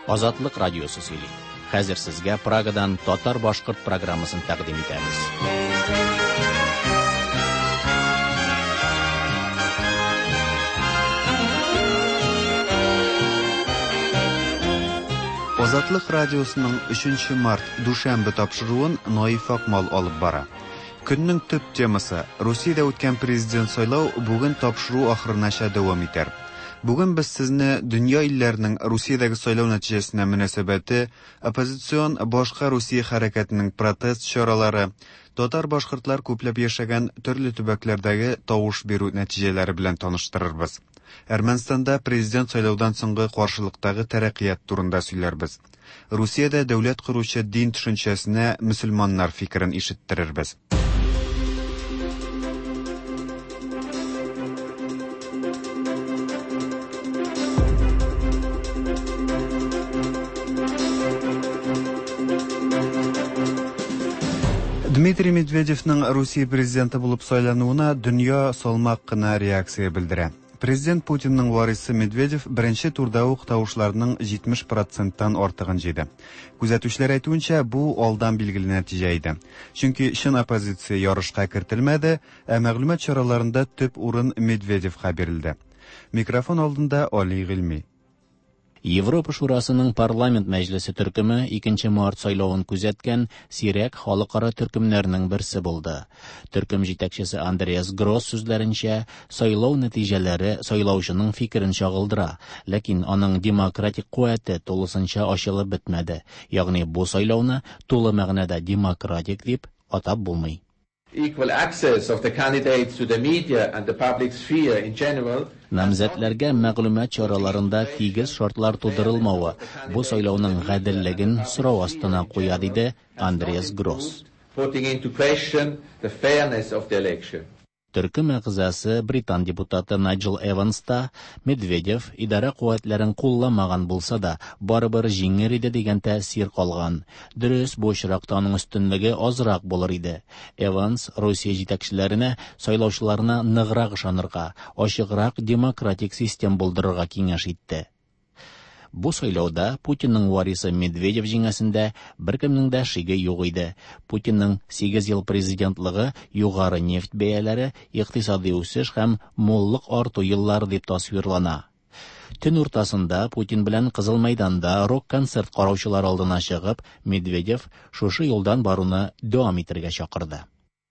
Азатлык радиосы сөйли. Хәзер сезгә Прагадан татар-башкорт программасын тәкъдим итәбез. Азатлык радиосының 3 март дүшәмбе тапшыруын Наиф Акмал алып бара. Көннең төп темасы Русиядә үткән президент сайлау бүген тапшыру ахырынача дәвам итәр. Бүген без сезне дөнья илләренең Русиядәге сайлау нәтиҗәсенә мөнәсәбәте, оппозицион Башка Русия хәрәкәтенең протест чаралары, татар-башкортлар күпләп яшәгән төрле төбәкләрдәге тавыш бирү нәтиҗәләре белән таныштырырбыз. Әрмәнстанда президент сайлаудан соңгы каршылыктагы тәрәккыят турында сөйләрбез. Русиядә дәүләт коручы дин төшенчәсенә мөселманнар фикерен ишеттерербез. Дмитрий Медведевның Русия президенты булып сайлануына дөнья салмак кына реакция белдерә. Президент Путинның варисы Медведев беренче турда ук тавышларның 70 проценттан артыгын җыйды. Күзәтүчеләр әйтүенчә, бу алдан билгеле нәтиҗә иде. Чөнки чын оппозиция ярышка кертелмәде, ә мәгълүмат чараларында төп урын Медведевка бирелде. Микрофон алдында Али Гыйльми. Европа Шурасының парламент мәҗлесе төркеме 2 март сайлавын күзәткән сирәк халыкара төркемнәрнең берсе булды. Төркем җитәкчесе Андреас Гросс сүзләренчә, сайлау нәтиҗәләре сайлаучының фикерен чагылдыра, ләкин аның демократик куәте тулысынча ачылып бетмәде. Ягъни бу сайлауны тулы мәгънәдә демократик дип атап булмый. Equal access of the candidates to the media and the public sphere in general. Намзәтләргә мәгълүмат чараларында тигез шартлар тудырылмавы бу сайлауның гаделлеген сорау астына куя, диде Андреас Гросс. Putting into question the fairness of the election. Төркем әгъзасы британ депутаты Найджел Эванс та Медведев идарә куәтләрен кулламаган булса да, барыбер җиңер иде дигән тәэсир калган. Дөрес, бу очракта аның өстенлеге азрак булыр иде. Эванс Русия җитәкчеләренә сайлаучыларына ныграк ышанырга, ачыграк демократик систем булдырырга киңәш итте. Бу сайлауда Путинның варисы Медведев җиңәсендә беркемнең дә шиге юк иде. Путинның 8 ел президентлыгы югары нефть бәяләре, икътисади үсеш һәм муллык арту еллары дип тасвирлана. Төн уртасында Путин белән Кызыл мәйданда рок-концерт караучылар алдына чыгып, Медведев шушы юлдан баруны дәвам итәргә чакырды.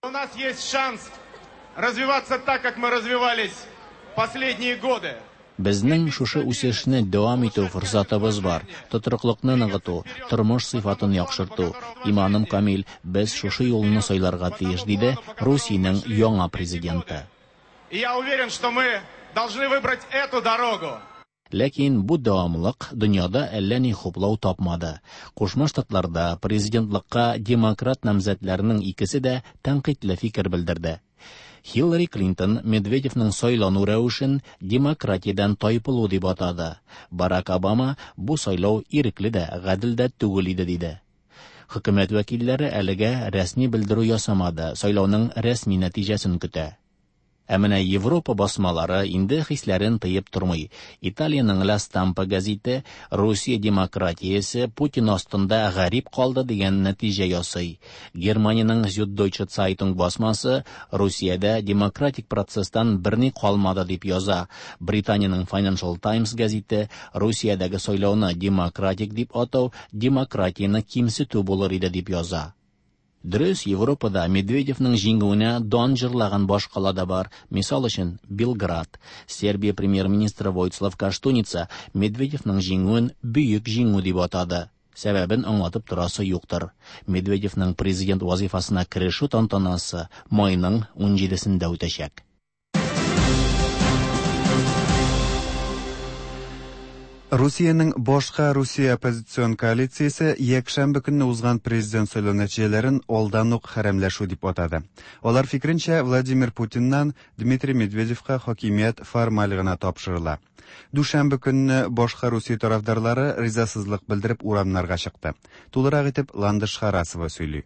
У нас есть шанс развиваться так, как мы развивались последние годы. Безнең шушы үсешне дәвам итү форсатыбыз бар. Тотрыклыкны ныгыту, тормыш сыйфатын яхшырту. Иманым камил, без шушы юлны сайларга тиеш, диде Русиянең яңа президенты. И я уверен, что мы должны выбрать эту дорогу. Ләкин бу дәвамлык дөньяда әллә ни хуплау тапмады. Кушма Штатларда президентлыкка демократ намзәтләренең икесе дә тәнкыйтьле фикер белдерде. Хиллари Клинтон Медведевның сайлану рәвешен демократиядән тайпылу дип атады. Барак Обама бу сайлау ирекле дә, гадел дә түгел иде диде. Хөкүмәт вәкилләре әлегә рәсми белдерү ясамады, сайлауның рәсми нәтиҗәсен көтә. Ә менә Европа басмалары инде хисләрен тыеп тормый. Италиянең La Stampa гәзите Русия демократиясе Путин астында гарип калды дигән нәтиҗә ясый. Германиянең Süddeutsche Zeitung басмасы Русиядә демократик процесстан берни калмады дип яза. Британиянең Financial Times гәзите Русиядәге сайлауны демократик дип атау демократияне кимсетү булыр иде дип яза. Дөрес, Европада Медведевның җиңүенә дан җырлаган башкала да бар. Мисал өчен, Белград. Сербия премьер-министры Войцлав Каштуница Медведевның җиңүен бөек җиңү дип атады. Сәбәбен аңлатып торасы юктыр. Медведевның президент вазифасына керешү тантанасы майның 17-сендә үтәчәк. Русиянең башка Русия оппозицион коалициясе якшәмбе көнне узган президент сайлау нәтиҗәләрен алдан ук хәрәмләшү дип атады. Алар фикеренчә, Владимир Путиннан Дмитрий Медведевка хакимият формаль гына тапшырыла. Дүшәмбе көнне башка Русия тарафдарлары ризасызлык белдереп урамнарга чыкты. Тулырак итеп Ландыш Харасова сөйли.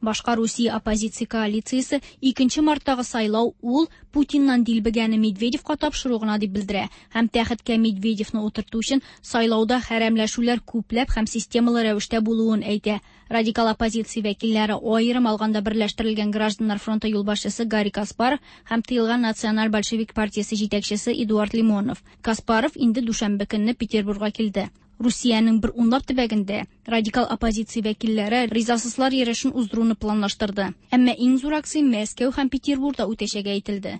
Башка Русия оппозиция коалициясе 2 марттагы сайлау ул Путиннан дилбегәне Медведевка тапшыру гына дип белдерә һәм тәхеткә Медведевны утырту өчен сайлауда хәрәмләшүләр күпләп һәм системалы рәвештә булуын әйтә. Радикал оппозиция вәкилләре аерым алганда берләштерелгән гражданнар фронты юлбашчысы Гарри Каспаров һәм тыелган Националь большевик партиясе җитәкчесе Эдуард Лимонов. Каспаров инде дүшәмбе көнне Петербургка килде. Русиянең бер унлап төбәгендә радикал оппозиция вәкилләре ризасызлар йөрешен уздыруны планлаштырды. Әмма иң зур акция Мәскәү һәм Петербургда үтәчәге әйтелде.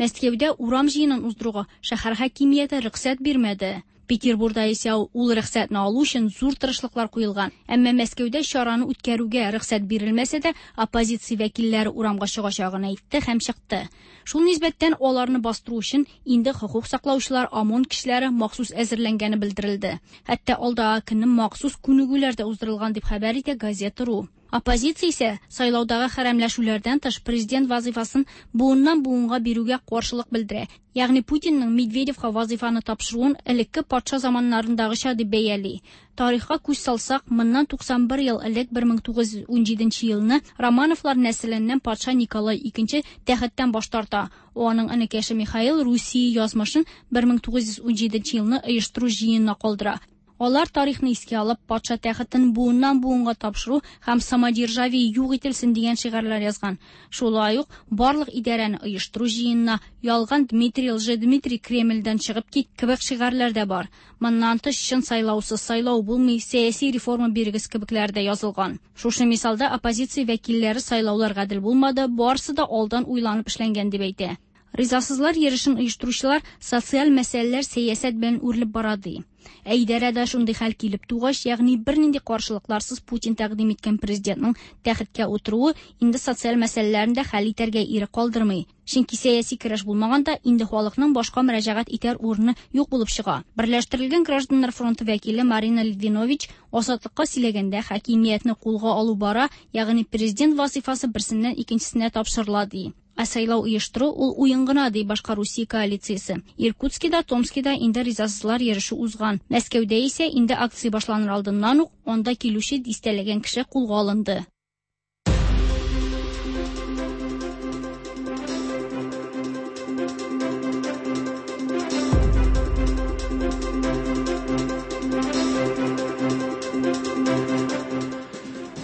Мәскәүдә урам җыенын уздыруга шәһәр хакимияте рөхсәт бирмәде. Петербургда исә ул рөхсәтне алу өчен зур тырышлыклар куелган. Әмма Мәскәүдә чараны үткәрүгә рөхсәт бирелмәсә дә, оппозиция вәкилләре урамга чыгачагын әйтте һәм чыкты. Шул нисбәттән аларны бастыру өчен инде хокук саклаучылар ОМОН кешеләре махсус әзерләнгәне белдерелде. Хәтта алдагы көнне махсус күнегүләр дә уздырылган дип хәбәр итә Газета.ру. Оппозиция исә сайлаудагы хәрәмләшүләрдән тыш президент вазифасын буыннан буынга бирүгә каршылык белдерә. Ягъни Путинның Медведевка вазифаны тапшыруын элекке патша заманнарындагыча дип бәяли. Тарихка күз салсак, моннан 91 ел элек 1917 елны Романовлар нәселеннән патша Николай II тәхеттән баш тарта. Аның энекәше Михаил Русия язмышын 1917 елны оештыру җыенына калдыра. Алар тарихны искә алып, патша тәхетен буыннан буынга тапшыру һәм самодержавие юк ителсен дигән шигарьләр язган. Шулай ук барлык идарәне оештыру җыенына ялган Дмитрий Лжедмитрий Кремльдән чыгып кит кебек шигарьләр дә бар. Моннан тыш чын сайлаусыз сайлау булмый, сәяси реформа бирегез кебекләр дә язылган. Шушы мисалда оппозиция вәкилләре сайлаулар гадел булмады, барысы да алдан уйланып эшләнгән дип әйтә. Ризасызлар йөрешен оештыручылар социаль мәсьәләләр сәясәт белән үрелеп бара ди. Ә идарәдә шундый хәл килеп тугач, ягъни бернинди каршылыкларсыз Путин тәкъдим иткән президентның тәхеткә утыруы инде социаль мәсьәләләрне дә хәл итәргә ирек калдырмый. Чөнки сәяси көрәш булмаганда инде халыкның башка мөрәҗәгать итәр урыны юк булып чыга. Берләштерелгән гражданнар фронты вәкиле Марина Литвинович Азатлыкка сөйләгәндә хакимиятне кулга алу бара, ягъни президент вазифасы берсеннән икенчесенә тапшырыла ди. Ә сайлау оештыру ул уен гына ди башка Русия коалициясе. Иркутскида, Томскида инде ризасызлар йөреше узган. Мәскәүдә исә инде акция башланыр алдыннан ук анда килүче дистәләгән кеше кулга алынды.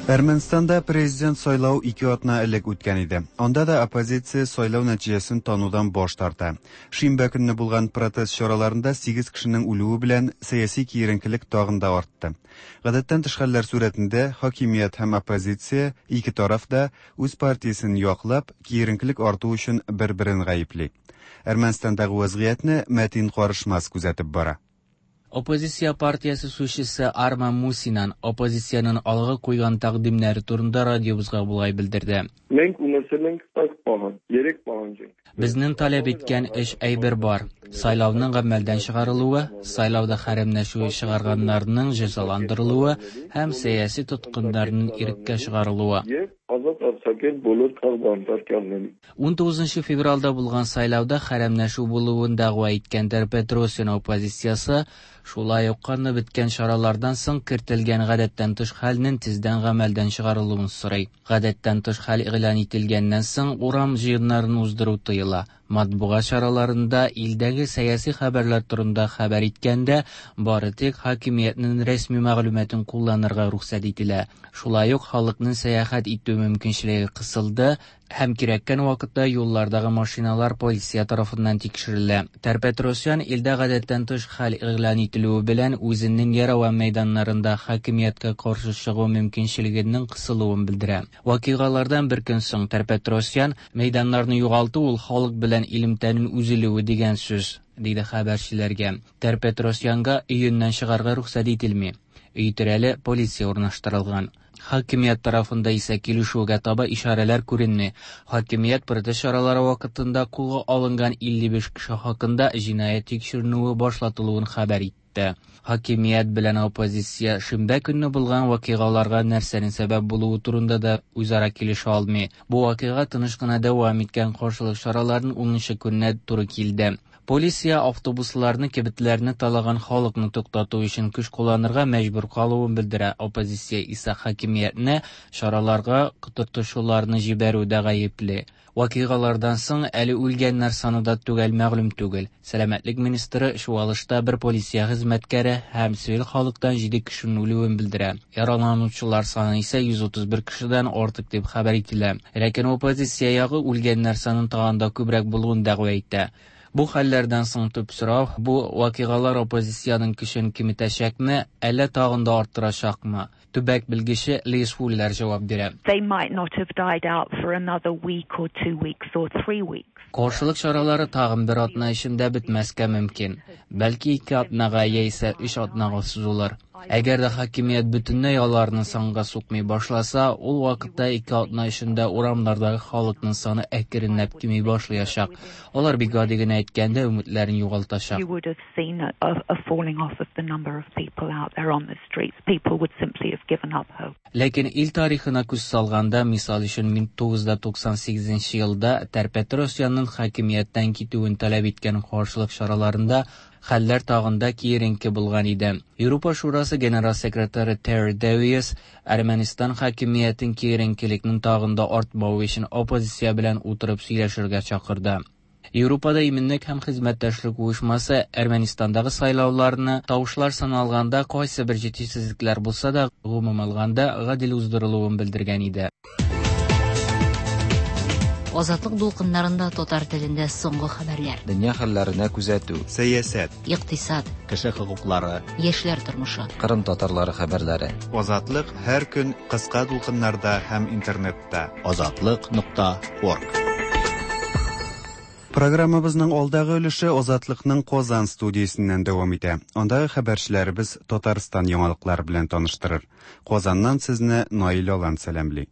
Әрмәнстанда президент сайлау 2 атна элек үткән иде. Анда да оппозиция сайлау нәтиҗәсен танудан баш тарта. Шимбә көнне булган протест чараларында 8 кешенең үлүе белән сәяси киеренкелек тагын да артты. Гадәттән тыш хәлләр сурәтендә хакимият һәм оппозиция ике тараф да үз партиясен яклап, киеренкелек арту өчен бер-берен гаепли. Әрмәнстандагы вазгыятьне Мәтин Карышмас күзәтеп бара. Оппозиция партиясе сүзчесе Арман Мусинан оппозициянең алга куйган тәкъдимнәре турында радиобызга болай белдерде. Մենք ունեցել ենք տակ պահանջ, երեք պահանջ ենք։ Безнең таләп иткән өч әйбер бар. Сайлауның гамәлдән чыгарылуы, сайлауда хәрәмләшү чыгарганнарның җәзаландырылуы һәм сәяси тоткыннарның иреккә чыгарылуы. Եվ ազատ արձակել բոլոր քաղբանտարկյալներին։ 19 февральдә булган сайлауда хәрәмләшү булуын дәгъва иткән Тер-Петросян оппозициясе шулай ук канны беткән чаралардан соң кертелгән гадәттән тыш хәлнең тиздән гамәлдән чыгарылуын сорый. Гадәттән тыш хәл игълан ителгәннән соң урам җыеннарын уздыру тыела. Матбугат чараларында илдәге сәяси хәбәрләр турында хәбәр иткәндә бары тик хакимиятнең рәсми мәгълүматын кулланырга рөхсәт ителә. Шулай ук халыкның сәяхәт итү мөмкинчелеге кысылды һәм кирәккән вакытта юллардагы машиналар полиция тарафыннан тикшерелә. Тер-Петросян илдә гадәттән тыш хәл игълан ителүе белән үзенең Ереван мәйданнарында хакимияткә каршы чыгу мөмкинчелегенең кысылуын белдерә. Вакыйгалардан бер көн соң Тер-Петросян мәйданнарны югалту ул халык белән элемтәнең өзелүе дигән сүз, диде хәбәрчеләргә. Тер-Петросянга өеннән чыгарга рөхсәт ителми. Өй тирәле полиция урнаштырылган. Хакимият тарафында исә килешүгә таба ишарәләр күренми. Хакимият протест чаралары вакытында кулга алынган 55 кеше хакында җинаять тикшеренүе башлатылуын хәбәр итте. Хакимият белән оппозиция шимбә көнне булган вакыйгаларга нәрсәнең сәбәп булуы турында да үзара килешә алмый. Бу вакыйга тыныч кына дәвам иткән каршылык чараларының 10 көненә туры килде. Полиция автобусларны, кибетләрне талаган халыкны туктату өчен көч кулланырга мәҗбүр калуын белдерә. Оппозиция исә хакимиятне чараларга котыртучыларны җибәрүдә гаепли. Вакыйгалардан соң әле үлгәннәр саны да төгәл мәгълүм түгел. Сәламәтлек министры чуалышта бер полиция хезмәткәре һәм цивиль халыктан 7 кешенең үлүен белдерә. Яраланучылар саны исә 131 кешедән артык дип хәбәр ителә. Ләкин оппозиция ягы үлгәннәр санын тагын да күбрәк булуын дәгъва итә. Бу хәлләрдән соң төп сорау, бу вакыйгалар оппозициянең көчен киметәчәкме, әллә тагын да арттырачакмы? Төбәк белгече Лиз Фуллер җавап бирә. They might not have died out for another week or 2 weeks or 3 weeks. Каршылык чаралары тагын бер атна эчендә бетмәскә мөмкин. Бәлки 2 атнага яисә 3 атнага сузылыр. Әгәр дә хакимият бөтенләй аларны санга сукмый башласа, ул вакытта 2 атна эчендә урамнардагы халыкның саны әкренләп кими башлаячак. Алар бик гади генә әйткәндә өметләрен югалтачак. You would have seen a falling off of the number of people out there on the streets. People would simply have given up hope. Ләкин ил тарихына күз салганда, мисал өчен 1998 елда Тер-Петросянның хакимияттән китүен таләп иткән каршылык чараларында хәлләр тагын да киеренке булган иде. Европа Шурасы генераль секретаре Терри Дэвис Әрмәнстан хакимиятен киеренкелекнең тагын да артмавы өчен оппозиция белән утырып сөйләшергә чакырды. Европада иминлек һәм хезмәттәшлек оешмасы Әрмәнстандагы сайлауларны тавышлар саналганда кайсы бер җитешсезлекләр булса да, гомум алганда гадел уздырылуын белдергән иде. Азатлык дулкыннарында татар телендә соңгы хәбәрләр. Дөнья хәлләренә күзәтү. Сәясәт. Икътисад. Кеше хокуклары. Яшьләр тормышы. Кырым татарлары хәбәрләре. Азатлык һәр көн кыска дулкыннарда һәм интернетта. Азатлык.орг. Программабызның алдагы өлеше Азатлыкның Казан студиясеннән дәвам итә. Андагы хәбәрчеләребез Татарстан яңалыклары белән таныштырыр. Казаннан сезне Наил Алан сәламли.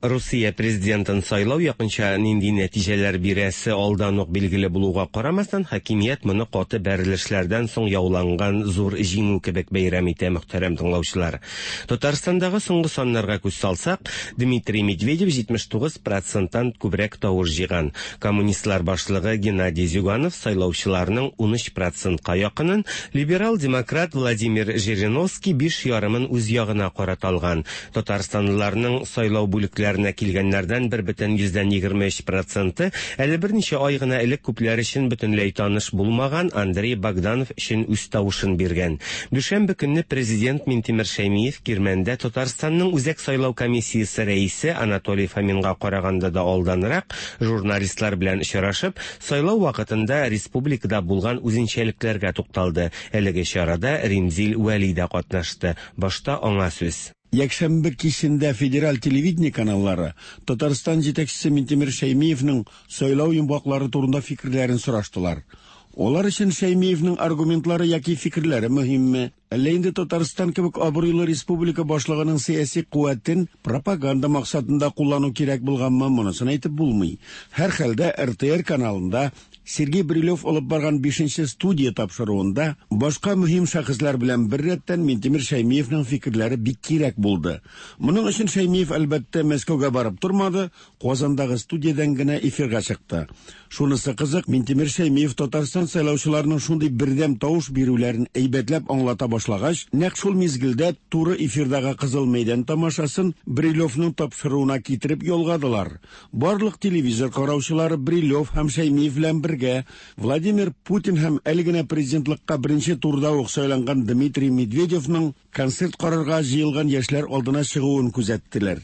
Русия президентын сайлау якынча нинди нәтиҗәләр бирәсе алдан ук билгеле булуга карамастан, хакимият моны каты бәрелешләрдән соң яуланган зур җиңү кебек бәйрәм итә, мөхтәрәм тыңлаучылар. Татарстандагы соңгы саннарга күз салсак, Дмитрий Медведев 79%-тан күбрәк тавыш җыйган. Коммунистлар башлыгы Геннадий Зюганов сайлаучыларның 13%-ка якынын, либерал-демократ Владимир Жириновский 5,5-ын үз ягына карата алган. Татарстанлыларның сайлау бүлекләре килгәннәрдән 1,23% әле берничә ай гына элек күпләр өчен бөтенләй таныш булмаган Андрей Богданов өчен үз тавышын биргән. Дүшәмбе көнне президент Минтимер Шәймиев Кирмәндә Татарстанның Үзәк сайлау комиссиясе рәисе Анатолий Фоминга караганда да алданрак журналистлар белән очрашып, сайлау вакытында республикада булган үзенчәлекләргә тукталды. Әлеге чарада Римзил Вәли дә катнашты. Башта аңа сүз. Якшәмбе кичендә федераль телевидение каналлары Татарстан җитәкчесе Минтимер Шәймиевның сайлау йомгаклары турында фикерләрен сораштылар. Алар өчен Шәймиевның аргументлары яки фикерләре мөһимме? Әллә инде Татарстан кебек абруйлы республика башлыгының сәяси куәтен пропаганда максатында куллану кирәк булганмы, монысын әйтеп булмый. Һәр хәлдә РТР каналында Сергей Брилев алып барган 5-нче студия тапшыруында башка мөһим шәхесләр белән беррәттән Минтимер Шәймиевның фикерләре бик кирәк булды. Моның өчен Шәймиев әлбәттә Мәскәүгә барып тормады, Казандагы студиядән генә эфирга чыкты. Шунысы кызык, Минтимер Шәймиев Татарстан сайлаучыларының шундый бердәм тавыш бирүләрен әйбәтләп аңлата башлагач, нәкъ шул мизгелдә туры эфирдагы Кызыл мәйдан тамашасын Брилевның тапшыруына китереп ялгадылар. Барлык телевизор караучылары Брилев һәм Шәймиев белән бергә Владимир Путин һәм әле генә президентлыкка беренче турда ук сайланган Дмитрий Медведевның концерт карарга җыелган яшьләр алдына чыгуын күзәттеләр.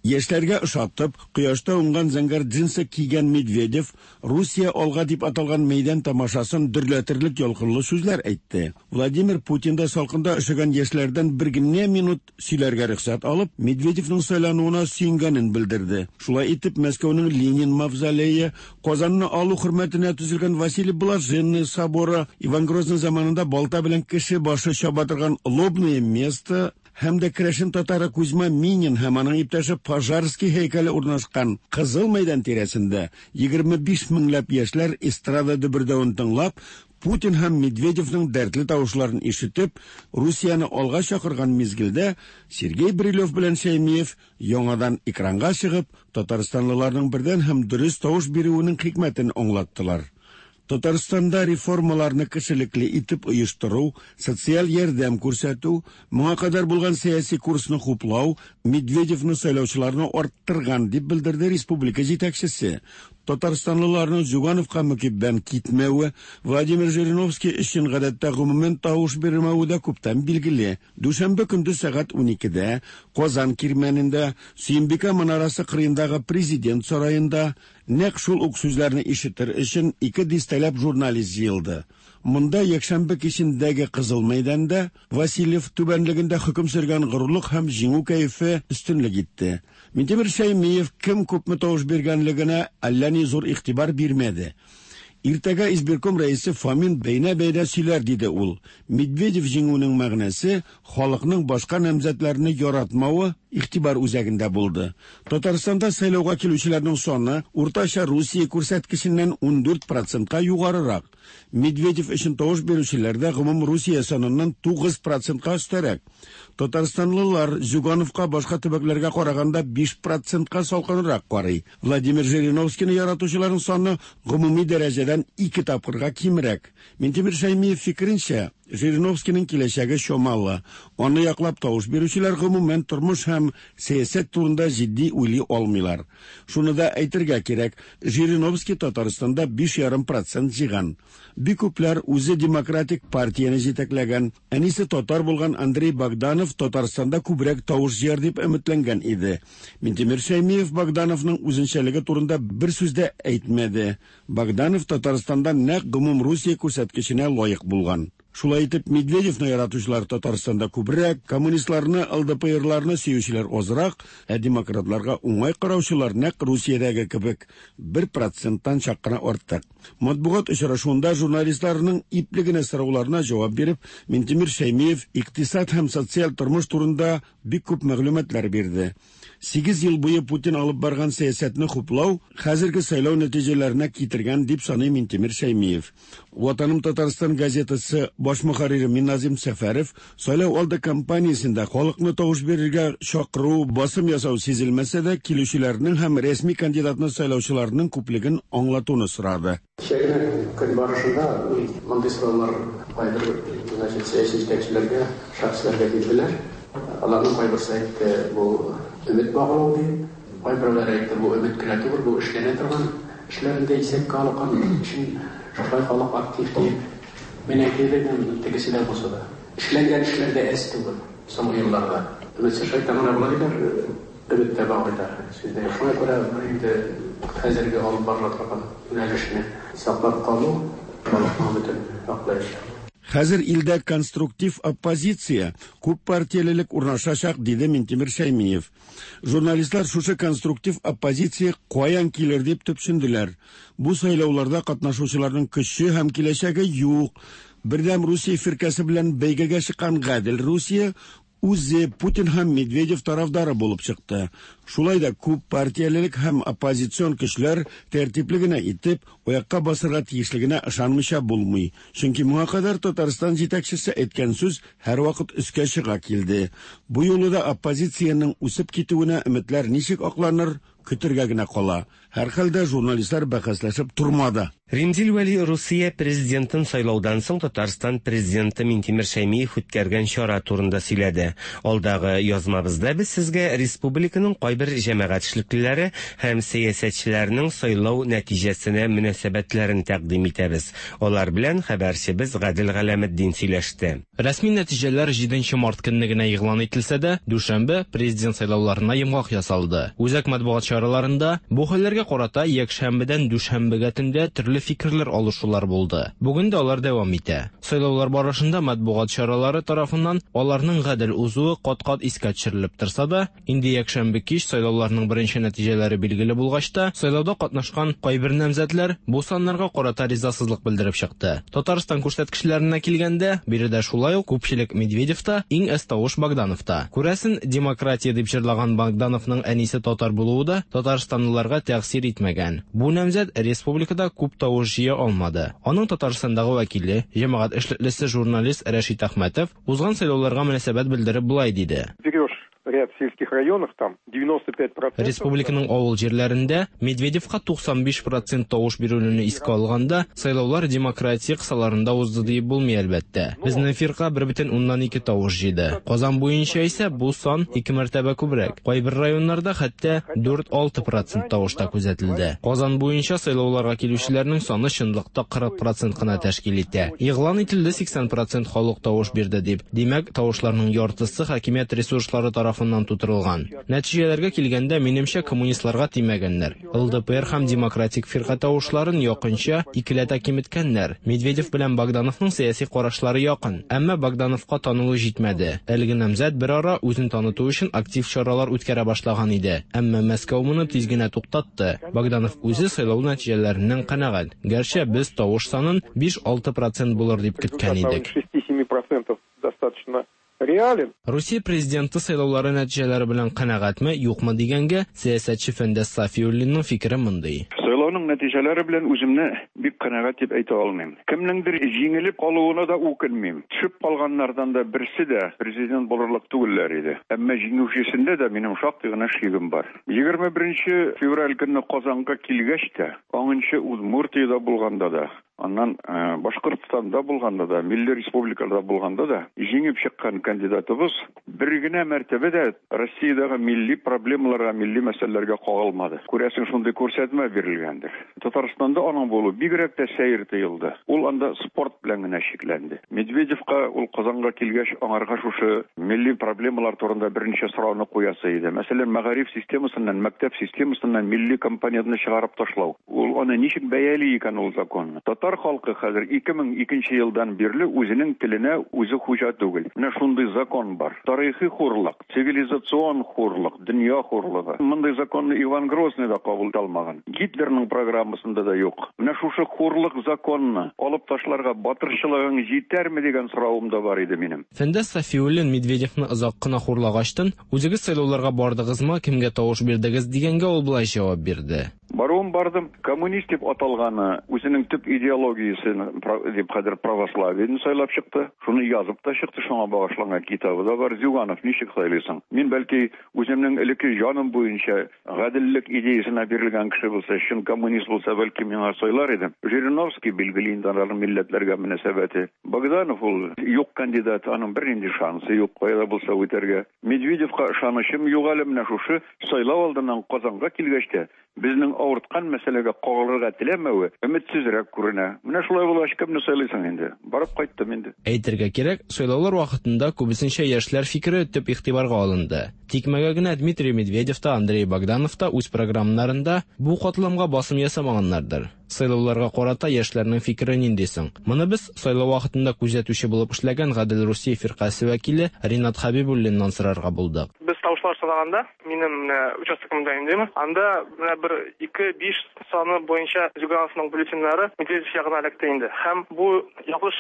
Яшьләргә ошатып, кояшта уңган зәңгәр джинсы кигән Медведев Русия алга дип аталган мәйдан тамашасын дөрләтерлек ялкынлы сүзләр әйтте. Владимир Путин да салкында өшегән яшьләрдән бер генә минут сөйләргә рөхсәт алып, Медведевның сайлануына сөенгәнен белдерде. Шулай итеп, Мәскәүнең Ленин мавзолее, Казанны алу хөрмәтенә төзелгән Василий Блаженный соборы, Иван Грозный заманында балта белән кеше башы чаба торган Лобное место һәм дә керәшен татары Кузьма Минин һәм аның иптәше Пожарский һәйкәле урнашкан Кызыл мәйдан тирәсендә 25 меңләп яшьләр эстрада дөбердәвен тыңлап, Путин һәм Медведевның дәртле тавышларын ишетеп, Русияне алга чакырган мизгелдә Сергей Брилев белән Шәймиев яңадан экранга чыгып, татарстанлыларның бердән һәм дөрес тавыш бирүенең хикмәтен аңлаттылар. Татарстанда реформаларны кешелекле итеп оештыру, социаль ярдәм күрсәтү, моңа кадәр булган сәяси курсны хуплау Медведевны сайлаучыларны арттырган, дип белдерде республика җитәкчесе. Татарстанлыларның Зюгановка мөкиббән китмәве, Владимир Жириновский өчен гадәттә гомумән тавыш бирмәве дә күптән билгеле. Дүшәмбе көндез сәгать 12дә Казан Кирмәнендә, Сөембикә манарасы кырыендагы Президент сараенда нәкъ шул ук сүзләрне ишетер өчен ике дистәләп журналист җыелды. Монда якшәмбе кичендәге Кызыл мәйданда Васильев түбәнлегендә хөкем сөргән горурлык һәм җиңү кәефе өстенлек итте. Минтимер Шәймиев кем күпме тавыш биргәнлегенә әллә ни зур игътибар бирмәде. Иртәгә избирком рәисе Фомин бәйнә-бәйнә сөйләр, диде ул. Медведев җиңүенең мәгънәсе халыкның башка намзәтләрне яратмавы игътибар үзәгендә булды. Татарстанда сайлауга килүчеләрнең саны уртача Русия күрсәткеченнән 14 процентка югарырак. Медведев өчен тавыш бирүчеләр дә гомум Русия саныннан 9 процентка өстәрәк. Татарстанлылар Зюгановка башка төбәкләргә караганда 5 процентка салкынрак карый. Владимир Жириновскийны яратучыларның саны гомуми дәрәҗәдән ике тапкырга кимрәк. Минтимер Шәймиев фикеренчә, Жириновскийның киләчәге чамалы. Аны яклап тавыш бирүчеләр гомумән тормыш һәм сәясәт турында җитди уйлый алмыйлар. Шуны да әйтергә кирәк, Жириновский Татарстанда 5,5% җыйган. Бик күпләр үзе демократик партияне җитәкләгән, әнисе татар булган Андрей Богданов Татарстанда күбрәк тавыш җыяр дип өметләнгән иде. Минтимер Шәймиев Богдановның үзенчәлеге турында бер сүз дә әйтмәде. Богданов Татарстанда нәкъ гомум Русия күрсәткеченә лаек булган. Шулай итеп, Медведевны яратучылар Татарстанда күбрәк, коммунистларны, ЛДПРларны сөючеләр азрак, ә демократларга уңай караучылар нәкъ Русиядәге кебек 1 проценттан чак кына артык. Матбугат очрашуында журналистларның ипле генә сорауларына җавап биреп, Минтимер Шәймиев икътисад һәм социаль тормыш турында бик күп мәгълүматлар бирде. 8 ел буе Путин алып барган сәясәтне хуплау хәзерге сайлау нәтиҗәләренә китергән дип саный Минтимер Шәймиев. Ватаным Татарстан газетасы баш мөхәррире Миназим Сәфәров сайлау алды кампаниясендә халыкны тавыш бирергә чакыру, басым ясау сизелмәсә дә, килүчеләрнең һәм рәсми кандидатны сайлаучыларның күплеген аңлатуны сорады. Кичә генә көн барышында мондый сораулар кайбер, значит, сәяси җитәкчеләргә, шәхесләргә бирделәр. Аларның кайберсе әйтте, бу өмет баглау дип, кайберәүләр әйтте, бу өмет кенә түгел, бу эшләнә торган эшләрне дә исәпкә алган өчен шулай халык актив диеп. Мин әйтер идем, тегесе дә бусы да. Эшләнгән эшләр дә әз түгел соңгы елларда. Өметсез шайтан гына була диләр, өмет тә баглыйлар. Сүз дә юк. Шуңа күрә инде хәзерге алып барыла торган юнәлешне саклап калу халыкның өметен аклаячак. Хәзер илдә конструктив оппозиция, күп партиялелек урнашачак, диде Минтимер Шәймиев. Журналистлар шушы конструктив оппозиция каян килер дип төпченделәр. Бу сайлауларда катнашучыларның көче һәм киләчәге юк. Бердәм Русия фиркәсе белән бәйгегә чыккан Гадел Русия үзе Путин һәм Медведев тарафдары булып чыкты. Шулай да күп партиялелек һәм оппозицион көчләр тәртипле генә итеп аякка басырга тиешлегенә ышанмыйча булмый. Чөнки моңа кадәр Татарстан җитәкчесе әйткән сүз һәрвакыт өскә чыга килде. Бу юлы да оппозициянең үсеп китүенә өметләр ничек акланыр, көтергә генә кала. Һәрхәлдә журналистлар бәхәсләшеп тормады. Римзил Вәли Русия президентын сайлаудан соң Татарстан президенты Минтимер Шәймиев үткәргән чара турында сөйләде. Алдагы язмабызда без сезгә республиканың кайбер җәмәгать эшлеклеләре һәм сәясәтчеләренең сайлау нәтиҗәсенә мөнәсәбәтләрен тәкъдим итәбез. Алар белән хәбәрчебез Гадел Галәметдин сөйләште. Рәсми нәтиҗәләр 7 март көнне генә игълан ителсә дә, дүшәмбе президент сайлауларына йомгак ясалды. Үзәк матбугат чараларында бу хәлләргә карата якшәмбедән дүшәмбегә төндә төрле фикерләр алышулар булды. Бүген дә алар дәвам итә. Сайлаулар барышында матбугат чаралары тарафыннан аларның гадел узуы кат-кат искә төшерелеп торса да, инде якшәмбе кич сайлауларның беренче нәтиҗәләре билгеле булгач та, сайлауда катнашкан кайбер намзәтләр бу саннарга карата ризасызлык белдереп чыкты. Татарстан күрсәткечләренә килгәндә, биредә шулай ук күпчелек Медведевта, иң әз тавыш Богдановта. Күрәсен, демократия дип җырлаган Богдановның әнисе татар булуы да татарстанлыларга тәэсир итмәгән. Бу намзәт республикада күп тавыш җыя алмады. Аның Татарстандагы вәкиле, җәмәгать эшлеклесе журналист Рәшит Әхмәтов узган сайлауларга мөнәсәбәт белдереп болай диде. Берешь Ряд сельских районах там 95%. Республиканың авыл җирләрендә Медведевка 95 процент тавыш бирелүне искә алганда, сайлаулар демократия кысаларында узды диеп булмый, әлбәттә. Безнең фирка 1,2 тавыш җыйды. Казан буенча исә бу сан ике мәртәбә күбрәк. Кайбер районнарда хәтта 4-6 процент тавыш та күзәтелде. Казан буенча сайлауларга килүчеләрнең саны чынлыкта 40 процент кына тәшкил итә. Игълан ителде 80 процент халык тавыш бирде дип. Димәк, тавышларның яртысы хакимият ресурслары тарафыннан тутырылган. Нәтиҗәләргә килгәндә, минемчә, коммунистларга тимәгәннәр. ЛДПР һәм Демократик фирка тавышларын якынча икеләтә киметкәннәр. Медведев белән Богдановның сәяси карашлары якын, әмма Богдановка танылу җитмәде. Әлеге намзәт берара үзен таныту өчен актив чаралар үткәрә башлаган иде, әмма Мәскәү моны тиз генә туктатты. Богданов үзе сайлау нәтиҗәләреннән канәгать, гәрчә без тавыш санын 5-6 процент булыр дип көткән идек. Достаточно реален. Русия президенты сайлаулары нәтиҗәләре белән канәгатьме, юкмы дигәнгә, сәясәтче Фәндәс Сафиуллинның фикере мондый. Сайлауның нәтиҗәләре белән үземне бик канәгать дип әйтә алмыйм. Кемнеңдер җиңелеп калуына да үкенмим. Төшеп калганнардан да берсе дә президент булырлык түгелләр иде. Әмма җиңүчесендә дә минем шактый гына шигем бар. 21 февраль көнне Казанга килгәч тә, аңынчы Удмуртиядә булганда да, аннан Башкортстанда булганда да, милли республикаларда булганда да җиңеп чыккан кандидатыбыз бер генә мәртәбә дә Россиядәге милли проблемаларга, милли мәсьәләләргә кагылмады. Күрәсең, шундый күрсәтмә бирелгәндер. Татарстанда аның булуы бигрәк тә сәер тоелды. Ул анда спорт белән генә чикләнде. Медведевка ул Казанга килгәч, аңарга шушы милли проблемалар турында берничә сорауны куясы иде. Мәсәлән, мәгариф системасыннан, мәктәп системасыннан милли компонентны чыгарып ташлау. Ул аны ничек бәяли икән ул законны? Татар халкы хәзер 2002 елдан бирле үзенең теленә үзе хуҗа түгел. Менә шундый закон бар. Тарихи хурлык, цивилизацион хурлык, дөнья хурлыгы. Мондый законны Иван Грозный да кабул итә алмаган. Гитлерның программасында да юк. Менә шушы хурлык законны алып ташларга батырчылыгың җитәрме дигән соравым да бар иде минем. Фәндәс Сафиуллин Медведевны озак кына хурлагачтын, үзегез сайлауларга бардыгызмы, кемгә тавыш бирдегез дигәнгә ул болай җавап бирде. Баруын бардым. Коммунист дип аталганы үзенең төп идеологиясен дип хәзер православиене сайлап чыкты. Шуны язып та чыкты, шуңа багышланган китабы да бар. Зюганов ничек сайлыйсың? Мин бәлки үземнең элекке җаным буенча гаделлек идеясенә бирелгән кеше булса, чын коммунист булса, бәлки миңа сайлар идем. Жириновский билгеле инде аларның милләтләргә мөнәсәбәте. Богданов ул юк кандидат, аның бернинди шансы юк кая да булса үтәргә. Медведевка ышанычым юк әле, менә шушы сайлау алдыннан Казанга килгәч тә безнең авырткан мәсьәләгә кагылырга теләмәве өметсезрәк күренә. Менә шулай булгач, кемне сайлыйсың инде? Барып кайттым инде. Әйтергә кирәк, сайлаулар вакытында күбесенчә яшьләр фикере төп игътибарга алынды. Тикмәгә генә Дмитрий Медведев та, Андрей Богданов та үз програмнарында бу катламга басым ясамаганнардыр. Сайлауларга карата яшьләрнең фикере нинди соң? Моны без сайлау вакытында күзәтүче булып эшләгән Гадел Русия фиркасе вәкиле Ринат Хәбибуллиннан сорарга булдык. Без тавышлар санаганда, минем менә участогымда инде, анда менә бер 2, 5 саны буенча Зюгановның бюллетеньнәре Медведев ягына эләкте инде. Һәм бу ялгыш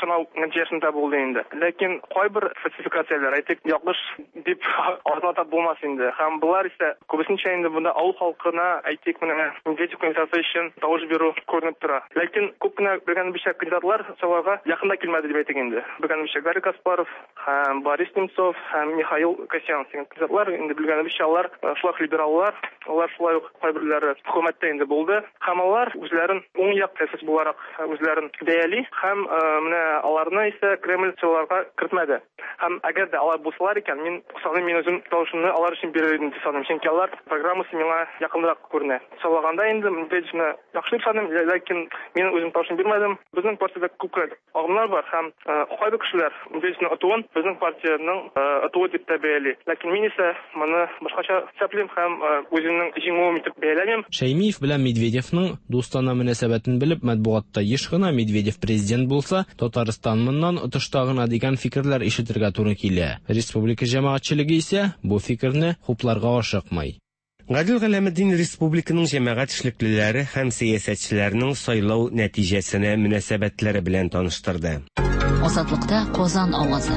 санау нәтиҗәсендә булды инде. Ләкин кайбер фальсификацияләр, әйтик, ялгыш дип артына атап булмас инде. Һәм болар исә күбесенчә инде монда авыл халкына, әйтик, менә Медведев кандидаты өчен тавыш бирү күренеп тора. Ләкин күп кенә белгәнебезчә кандидатлар сайлауга якын да килмәде дип әйтик инде. Белгәнебезчә Гарри Каспаров һәм Борис Немцов һәм Михаил Касьянов дигән кандидатлар, инде белгәнебезчә алар шулай ук либераллар, алар шулай ук кайберләре хөкүмәттә инде булды. Һәм алар үзләрен уң як сәясәтче буларак үзләрен бәяли һәм менә аларны исә Кремль сайлауларга кертмәде. Һәм әгәр дә алар булсалар икән, мин саныйм, мин үзем тавышымны алар өчен бирер идем дип саныйм. Чөнки алар программасы миңа якынрак күренә. Сайлаганда инде Медведевны яхшы дип саныйм, ләкин мин үзем тавышын бирмәдем. Безнең партиядә күп кенә агымнар бар һәм кайбер кешеләр Медведевның отуын безнең партиянең отуы дип тә бәяли. Ләкин мин исә моны башкача исәплим һәм үземнең җиңүем итеп бәяләмим. Шәймиев белән Медведевның дустана мөнәсәбәтен белеп, матбугатта еш кына Медведев президент булса, Татарстан моннан отышта гына дигән фикерләр ишетергә туры килә. Республика җәмәгатьчелеге исә бу фикерне хупларга ашыкмый. Гадел Галәметдин республиканың җәмәгать эшлеклеләре һәм сәясәтчеләренең сайлау нәтиҗәсенә мөнәсәбәтләре белән таныштырды. Азатлыкта Казан авазы.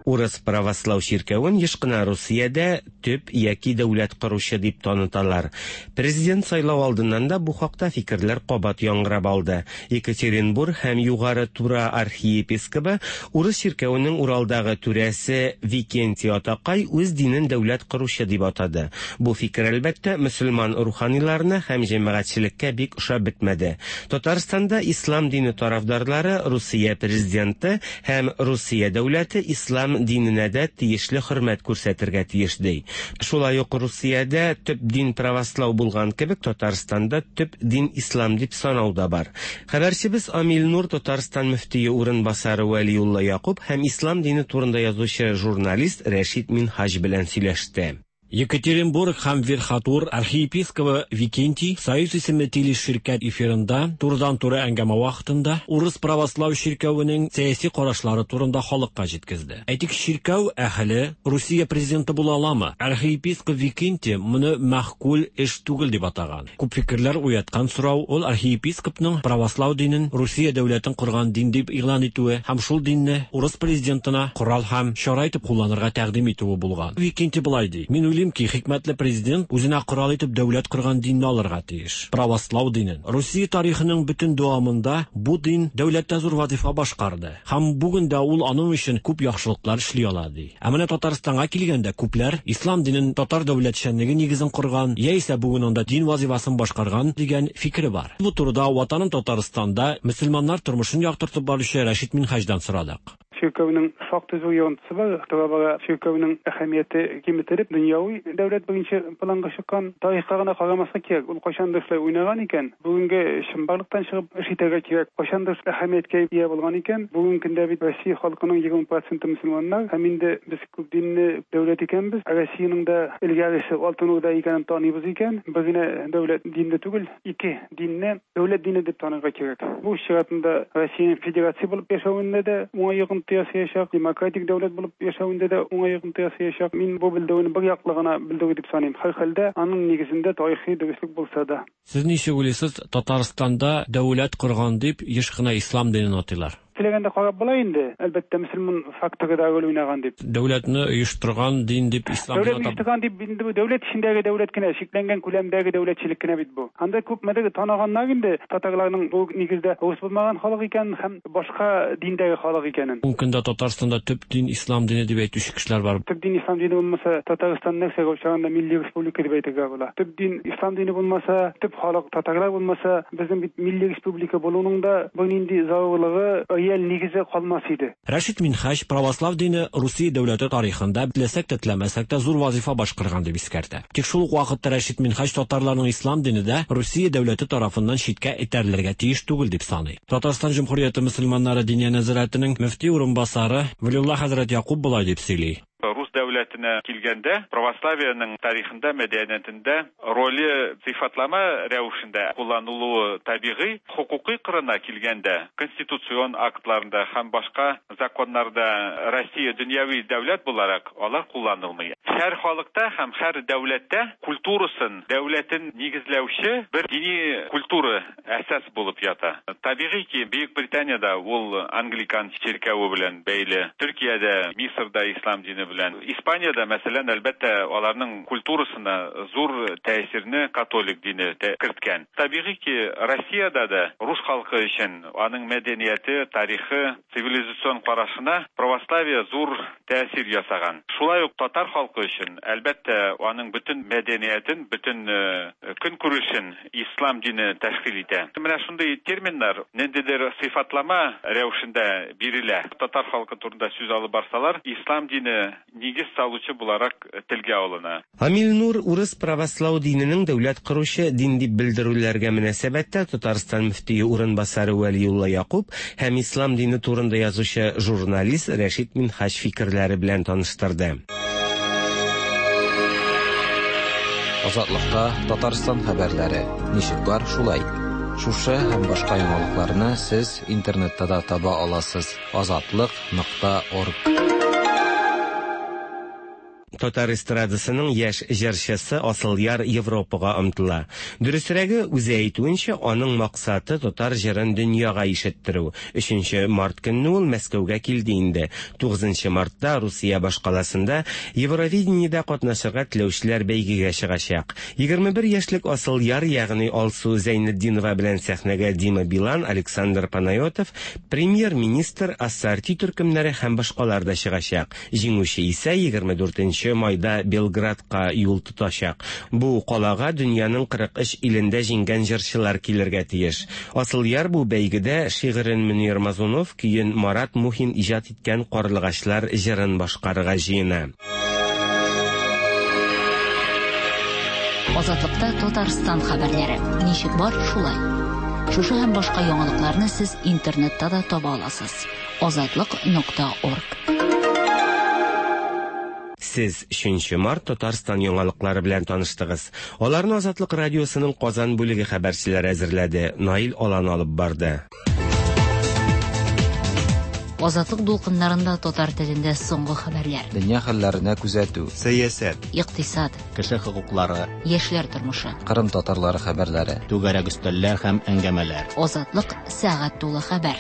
Урыс правослау чиркәвен еш кына Русиядә төп яки дәүләт коручы дип таныталар. Президент сайлау алдыннан да бу хакта фикерләр кабат яңгырап алды. Екатеринбург һәм Югары Тура архиепискобы, урыс чиркәвенең Уралдагы түрәсе Викентий атакай үз динен дәүләт коручы дип атады. Бу фикер, әлбәттә, мөселман руханиларына һәм җәмәгатьчелеккә бик ошап бетмәде. Татарстанда ислам дине тарафдарлары Русия президенты һәм Русия дәүләте ислам диненә дә тиешле хөрмәт күрсәтергә тиеш ди. Шулай ук Русиядә төп дин правослау булган кебек Татарстанда төп дин ислам дип санау да бар. Хәбәрчебез Амил Нур Татарстан мөфтие урынбасары Вәлиулла Якуб һәм ислам дине турында язучы журналист Рәшит Минһаҗ белән сөйләште. Екатеринбург һәм Верхотур архиепискобы Викентий Союз исемле телеширкәт эфирында турыдан-туры әңгәмә вакытында урыс правослау чиркәвенең сәяси карашлары турында халыкка җиткезде. Әйтик, чиркәү әһеле Русия президенты була аламы? Архиепископ Викентий моны мәгъкуль эш түгел дип атаган. Күп фикерләр уяткан сорау ул архиепископның правослау динен Русия дәүләтен корган дин дип игълан итүе һәм шул динне урыс президентына корал һәм чара итеп кулланырга тәкъдим итүе булган. Викентий болай ди: Мин уйлыйм ки, хикмәтле президент үзенә корал итеп дәүләт корган динне алырга тиеш. Правослау динен. Русия тарихының бөтен дәвамында бу дин дәүләттә зур вазифа башкарды. Һәм бүген дә ул аның өчен күп яхшылыклар эшли ала, ди. Ә менә Татарстанга килгәндә, күпләр ислам динен татар дәүләтчәнлеге нигезен корган, яисә бүген анда дин вазифасын башкарган дигән фикере бар. Бу турыда Ватаным Татарстанда мөселманнар тормышын яктыртып баручы Рәшит Минһаҗдан сорадык. Чиркәүнең шактый зур йогынтысы бар. Тора-бара чиркәүнең әһәмияте киметелеп, дөньяви дәүләт беренче планга чыккан. Тарихка гына карамаска кирәк. Ул кайчандыр шулай уйнаган икән, бүгенге чынбарлыктан чыгып эш итәргә кирәк. Кайчандыр әһәмияткә ия булган икән, бүгенге көндә бит Россия халкының 20 проценты мөселманнар һәм инде без күп динле дәүләт икәнбез. Россиянең дә элгәресе Алтын Урда икәнен таныйбыз икән, бер генә дәүләт динле түгел, ике динне дәүләт дине дип танырга кирәк. Бу үз чиратында Россиянең федерация булып яшәвендә дә уңай йогынты ясаячак, демократик дәүләт булып яшәвендә дә уңай йогынты ясаячак. Мин бу белдерүне бер яклы гына белдерү дип саныйм. Һәрхәлдә, аның нигезендә тарихи дөреслек булса да. Сез ничек уйлыйсыз, Татарстанда дәүләт корган дип еш кына ислам динен атыйлар. Теләгәндә карап була инде, әлбәттә, мөселман факторы да роль уйнаган дип. Дәүләтне оештырган дин дип ислам динен атап. Дәүләтне оештырган дип инде бу дәүләт эчендәге дәүләт кенә, чикләнгән күләмдәге дәүләтчелек кенә бит бу. Анда күпмедер таныганнар инде татарларның бу нигездә рус булмаган халык икәнен һәм башка диндәге халык икәнен. Бүгенге көндә Татарстанда төп дин ислам дине дип әйтүче кешеләр бар. Төп дин ислам дине булмаса, Татарстан нәрсәгә охшаган да милли республика дип әйтергә була. Төп дин ислам дине булмаса, төп халык татарлар булмаса, безнең бит милли республика булуның да бернинди зарурлыгы, реаль нигезе калмас иде. Рәшит Минһаҗ православ дине Русия дәүләте тарихында, теләсәк тә, теләмәсәк тә, зур вазыйфа башкарган дип искәртә. Тик шул ук вакытта Рәшит Минһаҗ татарларның ислам дине дә Русия дәүләте тарафыннан читкә этәрелергә тиеш түгел дип саный. Татарстан Җөмһүрияте мөселманнары Диния нәзарәтенең мөфти урынбасары Вәлиулла хәзрәт Якуб болай дип сөйли. Рус дәүләтенә килгәндә, православиенең тарихында, мәдәниятендә роле сыйфатлама рәвешендә кулланылуы табигый, хокукый кырына килгәндә, конституцион актларында һәм башка законнарда Россия дөньяви дәүләт буларак алар кулланылмый. Һәр халыкта һәм һәр дәүләттә культурасын, дәүләтен нигезләүче бер дини культура әсас булып ята. Табигый ки, Бөек Британиядә ул англикан чиркәве белән бәйле, Төркиядә, Мисырда ислам дине белән, Испаниядә, мәсәлән, әлбәттә, аларның культурасына зур тәэсирне католик дине керткән. Табигый ки, Россиядә дә рус халкы өчен аның мәдәнияте, тарихы, цивилизацион карашына православие зур тәэсир ясаган. Шулай ук татар халкы өчен, әлбәттә, аның бөтен мәдәниятен, бөтен көнкүрешен ислам дине тәшкил итә. Менә шундый терминнар ниндидер сыйфатлама рәвешендә бирелә. Татар халкы турында сүз алып барсалар, ислам дине нигез салучы буларак телгә алына. Амил Нур урыс правослау диненең дәүләт коручы дин дип белдерүләргә мөнәсәбәттә Татарстан мөфтие урынбасары Вәлиулла Якуб һәм ислам дине турында язучы журналист Рәшит Минһаҗ фикерләре белән таныштырды. Азатлыкта Татарстан хәбәрләре. Ничек бар, шулай. Шушы һәм башка яңалыкларны сез интернетта да таба аласыз. Азатлык нокта орг. Татар эстрадасының яшь җырчысы Асылъяр Европага омтыла. Дөресрәге, үзе әйтүенчә, аның максаты татар җырын дөньяга ишеттерү. Өченче март көнне ул Мәскәүгә килде инде. Тугызынчы мартта Русия башкаласында Евровидениедә катнашырга теләүчеләр бәйгегә чыгачак. 21 яшьлек Асылъяр, ягъни Алсу Зәйнетдинова белән сәхнәгә Дима Билан, Александр Панайотов, премьер-министр, Ассорти төркемнәре һәм башкалар да чыгачак. Җиңүче исә 24 нче майда Белградка юл тотачак. Бу калага дөньяның 43 илендә җиңгән җырчылар килергә тиеш. Асылъяр бу бәйгедә шигырен Мөнир Мазунов, көен Марат Мухин иҗат иткән Карлыгачлар җырын башкарырга җыена. Азатлыкта Татарстан хәбәрләре. Ничек бар, шулай. Шушы һәм башка яңалыкларны сез интернетта да таба аласыз. Азатлык нокта орг. Сез 3 март Татарстан яңалыклары белән таныштыгыз. Аларны Азатлык радиосының Казан бүлеге хәбәрчеләре әзерләде. Наил Алан алып барды. Азатлык дулкыннарында татар телендә соңгы хәбәрләр. Дөнья хәлләренә күзәтү. Сәясәт. Икътисад. Кеше хокуклары. Яшьләр тормышы. Кырым татарлары хәбәрләре. Түгәрәк өстәлләр һәм әңгәмәләр. Азатлык сәгать тулы хәбәр.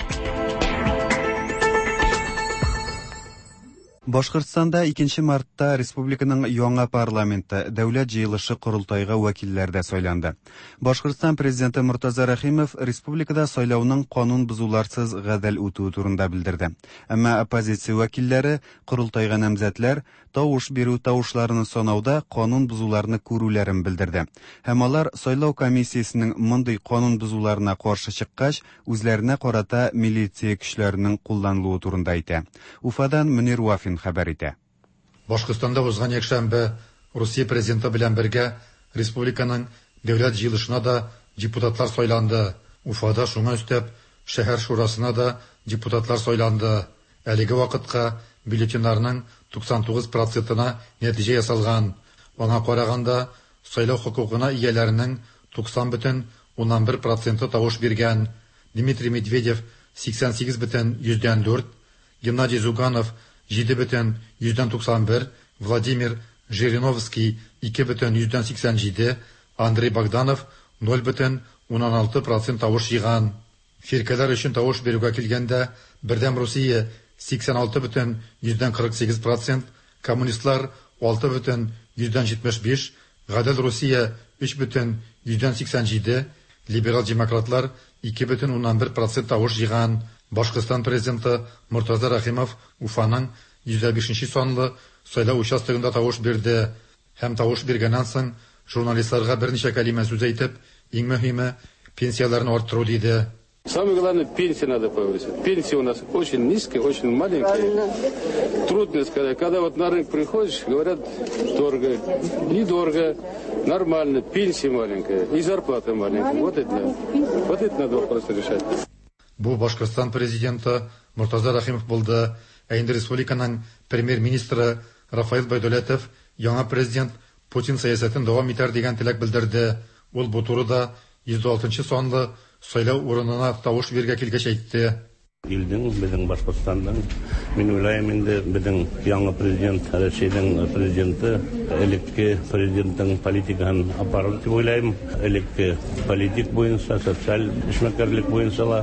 Башкортстанда 2 мартта республиканың яңа парламенты, Дәүләт җыелышы корылтайга вәкилләр дә сайланды. Башкортстан президенты Мортаза Рәхимов республикада сайлауның канун бозуларсыз гадел үтүе турында белдерде. Әмма оппозиция вәкилләре, корылтайга намзәтләр тавыш бирү тавышларны санауда канун бозуларны күрүләрен белдерде. Һәм алар сайлау комиссиясенең мондый канун бозуларына каршы чыккач, үзләренә карата милиция көчләренең кулланылуы турында әйтә. Уфадан Мөнир Вафин хәбәр итә. Башкортстанда узган якшәмбе Русия президенты белән бергә республиканың Дәүләт җыелышына да депутатлар сайланды. Уфада шуңа өстәп шәһәр шурасына да депутатлар сайланды. Әлеге вакытка бюллетеньнарның 99 процентына нәтиҗә ясалган. Аңа караганда, сайлау хокукына ияләренең 90,1 проценты тавыш биргән. Дмитрий Медведев 88,4, Геннадий Зюганов 7,91, Владимир Жириновский 2,87, Андрей Богданов 0,16 процент тавыш җыйган. Фиркәләр өчен тавыш бирүгә килгәндә, Бердәм Русия 86,48 процент, коммунистлар 6,75, Гадел Русия 3,87, либерал демократлар 2,1 процент тавыш җыйган. Башкортстан президенты Мортаза Рәхимов Уфаның 105 санлы сайлау участогында тавыш бирде һәм тавыш биргәннән соң журналистларга берничә кәлимә сүз әйтеп, иң мөһиме пенсияләрне арттыру диде. Самое главное, пенсии надо повысить. Пенсии у нас очень низкие, очень маленькие. Правильно. Трудно сказать. Когда вот на рынок приходишь, говорят, дорого. Недорого, нормально, пенсия маленькая и зарплата маленькая. Вот это, вот это надо вопрос решать. Бу Башкортстан президенты Мортаза Рәхимов булды. Ә инде республиканың премьер-министры Рафаил Байдәүләтов яңа президент Путин сәясәтен дәвам итәр дигән теләк белдерде. Ул бу турыда 106 санлы сайлау урынына тавыш бирергә килгәч әйтте. Илнең, безнең Башкортстанның, мин уйлыйм инде, безнең яңа президент, Россиянең президенты, элекке президентның политикасын апарыр дип уйлыйм. Элекке политик буенча, социаль эшмәкәрлек буенча ла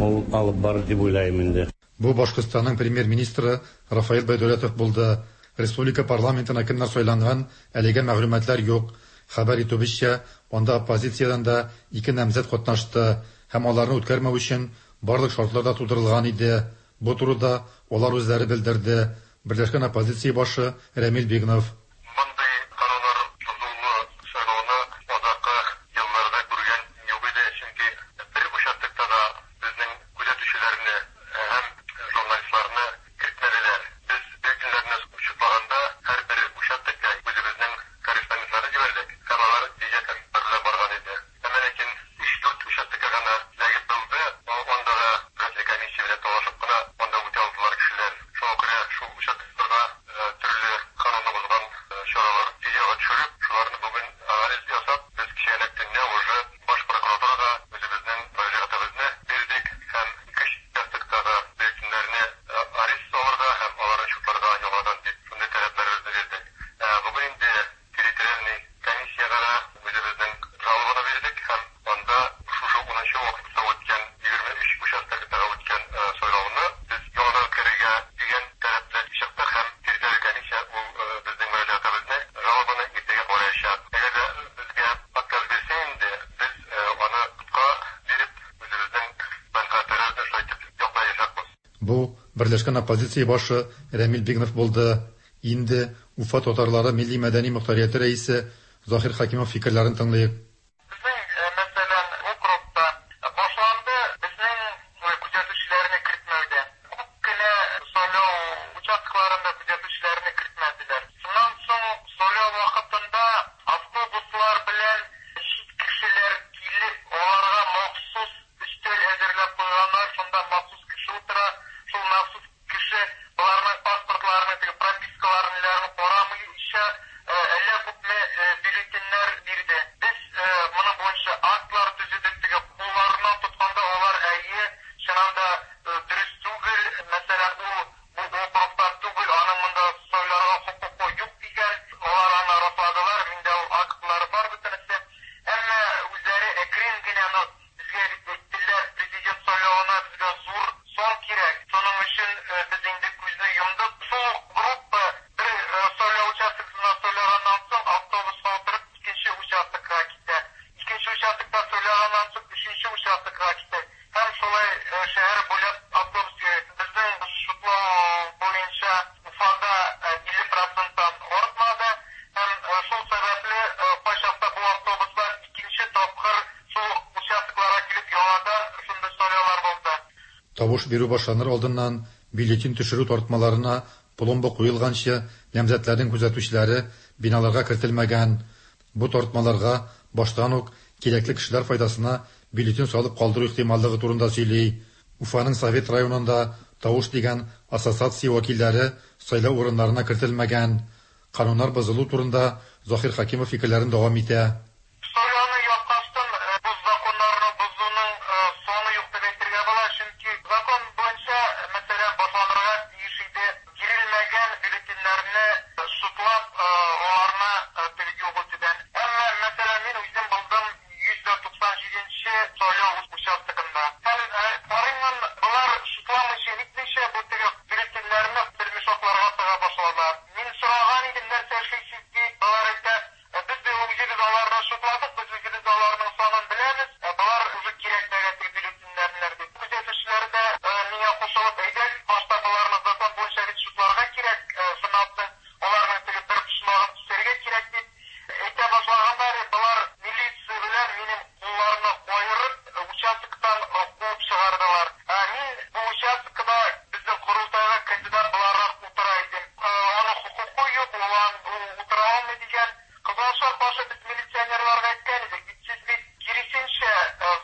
ул алып барыр дип уйлыйм инде. Бу Башкортстанның премьер-министры Рафаил Байдәүләтов булды. Республика парламентына кемнәр сайланган, әлегә мәгълүматлар юк. Хәбәр итүебезчә, анда оппозициядән дә ике намзәт катнашты һәм аларны үткәрмәү өчен барлык шартлар да тудырылган иде. Бу турыда алар үзләре белдерде. Берләшкән оппозиция башы Рәмил Бигнов. Мондый карарлар бозулы сайлауны азаккы елларда күргән юк иде, чөнки бер участокта да безнең күзәтүчеләрне һәм журналистларны кертмәделәр. Без бюллетеньнәрне учетлаганда һәрбер участокка үзебезнең корреспондентларны җибәрдек һәм алар видеокамералар белән барган иде. Әмма ләкин өч-дүрт участокка гына эләгеп булды, анда да избирательный комиссия белән талашып кына анда үтә алдылар кешеләр. Шуңа күрә шул участокларда төрле канунны бозган Бу берләшкән оппозиция башы Рәмил Бигнов булды. Инде Уфа татарлары милли-мәдәни мохтарияте рәисе Заһир Хәкимов фикерләрен тыңлыйк. Мәсәлән, округта башланды безнең күзәтүчеләрне кертмәүдән. Күп кенә сайлау участокларында күзәтүчеләрне кертмәделәр. Шуннан соң сайлау вакытында автобуслар белән чит кешеләр килеп, аларга махсус өстәл әзерләп куйганнар, шунда махсус кеше утыра, шул махсус кеше боларның паспортларын, теге пропискаларын, ниләрен карамыйча, әллә күпме бюллетеньнәр бирде. Без моның буенча актлар төзедек, теге кулларыннан тотканда алар әйе, чыннан да дөрес түгел, мәсәлән, ул бу округтан түгел, аның монда сайларга хокукы юк дигән, алар аны расладылар, миндә ул актлар бар бөтенесе. Әмма үзләре әкрен генә, ну, безгә бит әйттеләр, президент сайлавына безгә зур сан кирәк. Шуның өчен без инде күзне йомдык. Шул ук группа бер сайлау участоксына сайлаганнан соң автобуска утырып икенче участокка китә. Икенче участокта сайлаганнан соң өченче участокка китә. Һәм шулай шәһәр буйлап автобус йөри. Безнең шутлау буенча Уфада 50 проценттан артмады. Һәм шул сәбәпле кайчакта бу автобуслар икенче тапкыр шул участокларга килеп яңадан шундый сайлаулар булды. Тавыш бирү башланыр алдыннан бюллетень төшерү тартмаларына пломба куелганчы намзәтләрнең күзәтүчеләре биналарга кертелмәгән. Бу тартмаларга баштан ук кирәкле кешеләр файдасына бюллетень салып калдыру ихтималлыгы турында сөйли. Уфаның Совет районында тавыш дигән ассоциация вәкилләре сайлау урыннарына кертелмәгән. Кануннар бозылу турында Заһир Хәкимов фикерләрен дәвам итә. Сайлауны япкачтын бу законнарны бозуның саны юк дип әйтергә була, чөнки закон буенча, мәсәлән, башланырга тиеш иде бирелмәгән бюллетеньнәрне шутлап, аларны теге юк итүдән. Әмма, мәсәлән, мин үзем булдым 197-нче сайлау участогында. Һәм карыймын, болар шутламыйча, нитмичә бу теге бюллетеньнәрне бер мешокларга тыга башладылар. Мин сораган идем, нәрсә эшлисез дип, болар әйтә, без дә үзебез аларны шутладык, без үзебез аларның санын беләбез, болар уже кирәкмәгән теге бюллетеньнәр дип. Күзәтүчеләр дә миңа кушылып, әйдәгез, башта боларны закон буенча бит шутларга кирәк, шуннан соң аларның теге бер почмагын кисәргә кирәк дип әйтә башлаганнар, болар милиция белән минем кулларны каерып, участоктан куып чыгардылар. Мин бу участокта безнең корылтайга кандидат буларак утыра идем. Аның хокукы юк, ул утыра алмый дигән. Кызылшар башы без милиционерларга әйткән идек, бит сез бит киресенчә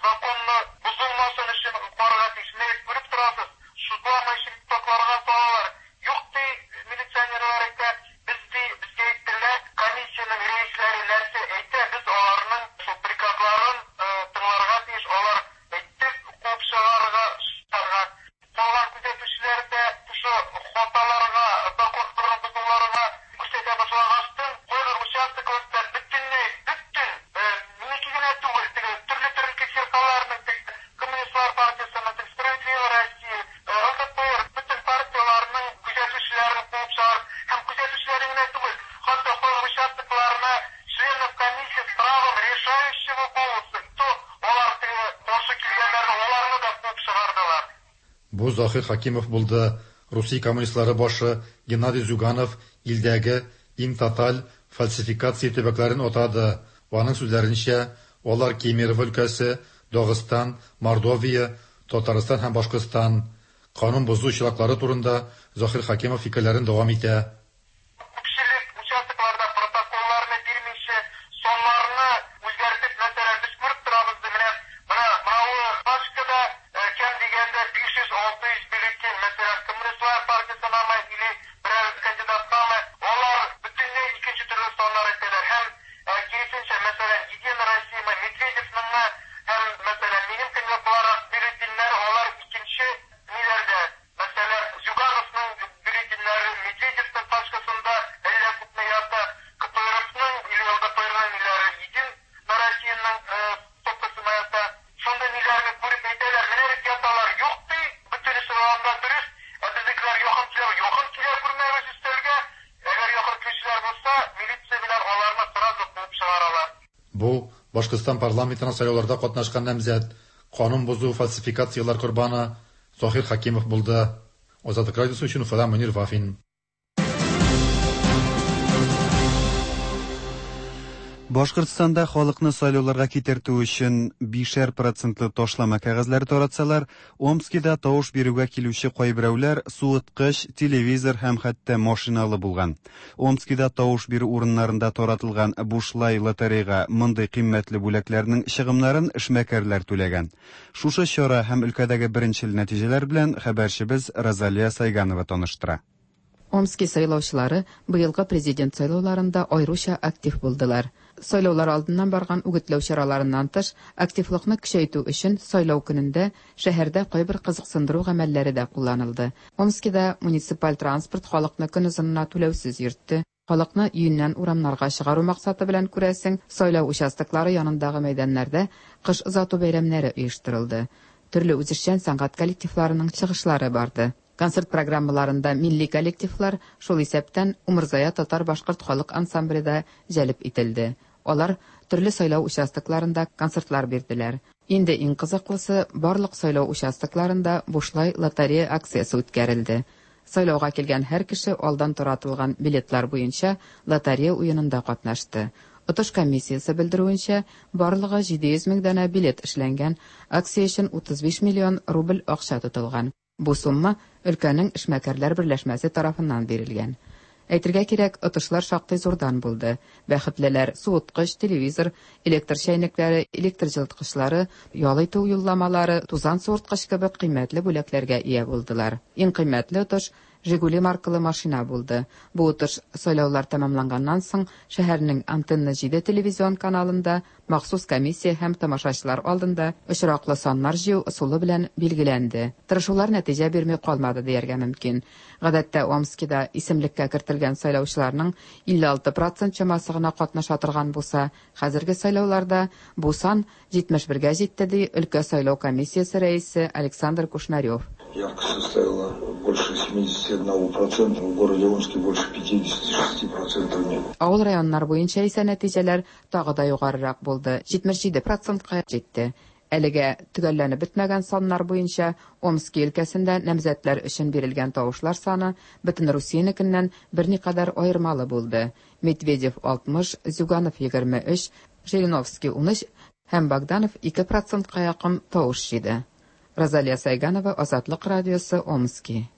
законны бозылмасын өчен карарга тиеш. Менә бит күреп торасыз, шутламыйча токларга салалар. Юк ди, милиционерлар әйтә, без ди, безгә әйттеләр, комиссиянең рәисләре нәрсә әйтә, без аларның шул приказларын тыңларга тиеш, алар әйтте, куып чыгарга, чыгарга. Калган күзәтүчеләр дә шушы хаталарга, законнарны бозуларга күрсәтә башлагачтын, кайбер участокларда бөтенләй, бөтен, минеке генә түгел, теге төрле-төрле фиркаларның, теге Коммунистлар партиясенең, теге Справедливая Россия, ЛДПР, бөтен партияларның күзәтүчеләрен куып чыгарып, һәм күзәтүчеләрен генә түгел, хәтта кайбер участокларына членов комиссии с правом решающего голоса, то алар теге каршы килгәннәрне, аларны да куып чыгардылар. Бу Заһир Хәкимов булды. Русия коммунистлары башы Геннадий Зюганов илдәге иң тоталь фальсификация төбәкләрен атады. Аның сүзләренчә, алар Кемерово өлкәсе, Дагыстан, Мордовия, Татарстан һәм Башкортстан. Канун бозу очраклары турында Заһир Хәкимов фикерләрен дәвам итә. Күпчелек участокларда протоколларны бирмичә, саннарны үзгәртеп, мәсәлән, без күреп торабыз, менә менә мынауы пачкада ким дигәндә 500-600 бюллетень, мәсәлән, Коммунистлар партиясенәме или берәр кандидаткамы, алар бөтенләй икенче төрле саннар әйтәләр. Һәм киресенчә, мәсәлән, Единая Россия, Медведевныңмы һәм, мәсәлән, минем кандидат буларак бюллетеньнәр алар икенче ниләрдә. Мәсәлән, Зюгановның бюллетеньнәре Медведевның пачкасында әллә күпме ята, КПРФның или ЛДПРның ниләре Единая Россияның стопкасына ята. Шундый ниләрне күреп әйтәләр, менә бит яталар, юк ди, бөтенесе анда дөрес, ә безнекеләр якын килә, якын килә күрмәгез өстәлгә. Әгәр якын килүчеләр булса, милиция белән аларны сразу куып чыгаралар. Бу Башкортстан парламентына сайлауларда катнашкан намзәт, канун бозу фальсификацияләр корбаны Заһир Хәкимов булды. Азатлык радиосы өчен Уфадан Мөнир Вафин. Башкортстанда халыкны сайлауларга китертү өчен бишәр процентлы ташлама кәгазьләре таратсалар, Омскида тавыш бирүгә килүче кайберәүләр суыткыч, телевизор һәм хәтта машиналы булган. Омскида тавыш бирү урыннарында таратылган бушлай лотерейга мондый кыйммәтле бүләкләрнең чыгымнарын эшмәкәрләр түләгән. Шушы чара һәм өлкәдәге беренчел нәтиҗәләр белән хәбәрчебез Розалия Сайганова таныштыра. Омски сайлаучылары быелгы президент сайлауларында аеруча актив булдылар. Сайлаулар алдыннан барган үгетләү чараларыннан тыш, активлыкны көчәйтү өчен сайлау көнендә шәһәрдә кайбер кызыксындыру гамәлләре дә кулланылды. Омскида муниципаль транспорт халыкны көн озынына түләүсез йөртте. Халыкны өеннән урамнарга чыгару максаты белән, күрәсең, сайлау участоклары янындагы мәйданнарда кыш озату бәйрәмнәре оештырылды. Төрле үзешчән сәнгать коллективларының чыгышлары барды. Концерт программаларында милли коллективлар, шул исәптән Умырзая татар-башкорт халык ансамбле дә җәлеп ителде. Алар төрле сайлау участокларында концертлар бирделәр. Инде иң кызыклысы, барлык сайлау участокларында бушлай лотерея акциясе үткәрелде. Сайлауга килгән һәр кеше алдан таратылган билетлар буенча лотерея уенында катнашты. Отыш комиссиясе белдерүенчә, барлыгы 700 мең данә билет эшләнгән, акция өчен 35 миллион рубль акча тотылган. Бу сумма өлкәнең эшмәкәрләр берләшмәсе тарафыннан бирелгән. Әйтергә кирәк, отышлар шактый зурдан булды. Бәхетлеләр суыткыч, телевизор, электр чәйнекләре, электр җылыткычлары, ял итү юлламалары, тузан суырткыч кебек кыйммәтле бүләкләргә ия булдылар. Иң кыйммәтле отыш Жигули маркалы машина булды. Бу отыш сайлаулар тәмамланганнан соң шәһәрнең Антенна 7 телевизион каналында махсус комиссия һәм тамашачылар алдында очраклы саннар җыю ысулы белән билгеләнде. Тырышулар нәтиҗә бирми калмады дияргә мөмкин. Гадәттә Омскида исемлеккә кертелгән сайлаучыларның 56 процент чамасы гына катнаша торган булса, хәзерге сайлауларда бу сан 71гә җитте, ди өлкә сайлау комиссиясе рәисе Александр Кушнарев. Явка составила больше 71%, в городе Омске больше 56% нет. Авыл районнар буенча исә нәтиҗәләр тагы да югарырак булды, 77 процентка җитте. Әлегә төгәлләнеп бетмәгән саннар буенча Омски өлкәсендә намзәтләр өчен бирелгән тавышлар саны бөтен Русиянекеннән берникадәр аермалы булды. Медведев 60, Зюганов 23, Жириновский 13 һәм Богданов 2 процентка якын тавыш җыйды. Розалия Сайганова, Азатлык радиосы, Омски.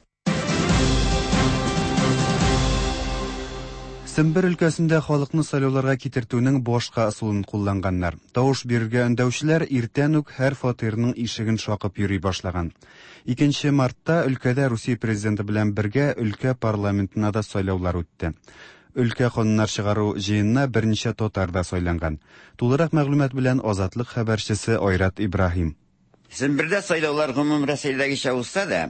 Сембер өлкәсендә халыкны сайлауларга китертүнең башка ысулын кулланганнар. Тавыш бирергә өндәүчеләр иртән үк һәр фатирның ишеген шакып йөри башлаган. 2 мартта өлкәдә Русия президенты белән бергә өлкә парламентына да сайлаулар үтте. Өлкә кануннар чыгару җыенына берничә татар да сайланган. Тулырак мәгълүмат белән Азатлык хәбәрчесе Айрат Ибраһим. Сембердә сайлаулар гомум Рәсәйдәгечә узса да,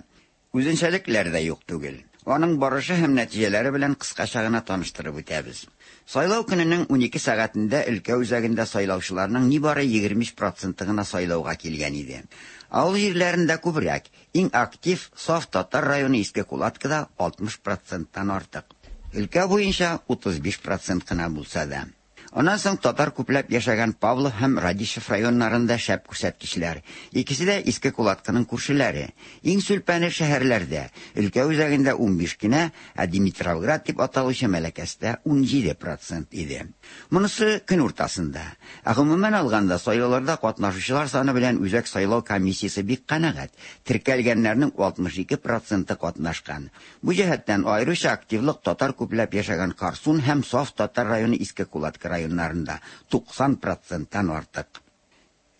үзенчәлекләр дә юк түгел. Аның барышы һәм нәтиҗәләре белән кыскача гына таныштырып үтәбез. Сайлау көненең 12 сәгатендә өлкә үзәгендә сайлаучыларның нибары 23 проценты гына сайлауга килгән иде. Авыл җирләрендә күбрәк, иң актив саф татар районы Иске Кулаткада 60 проценттан артык. Өлкә буенча 35 процент кына булса да. Аннан соң татар күпләп яшәгән Павлов һәм Радищев районнарында шәп күрсәткечләр. Икесе дә Иске Кулаткының күршеләре. Иң сүлпәне шәһәрләрдә. Өлкә үзәгендә 15 кенә, ә Димитровград дип аталучы Мәләкәстә 17 процент иде. Монысы көн уртасында. Ә гомумән алганда сайлауларда катнашучылар саны белән Үзәк сайлау комиссиясе бик канәгать. Теркәлгәннәрнең 62 проценты катнашкан. Бу җәһәттән аеруча активлык татар күпләп яшәгән Карсун һәм саф татар районы Иске Кулатка районнарында 90 проценттан артык.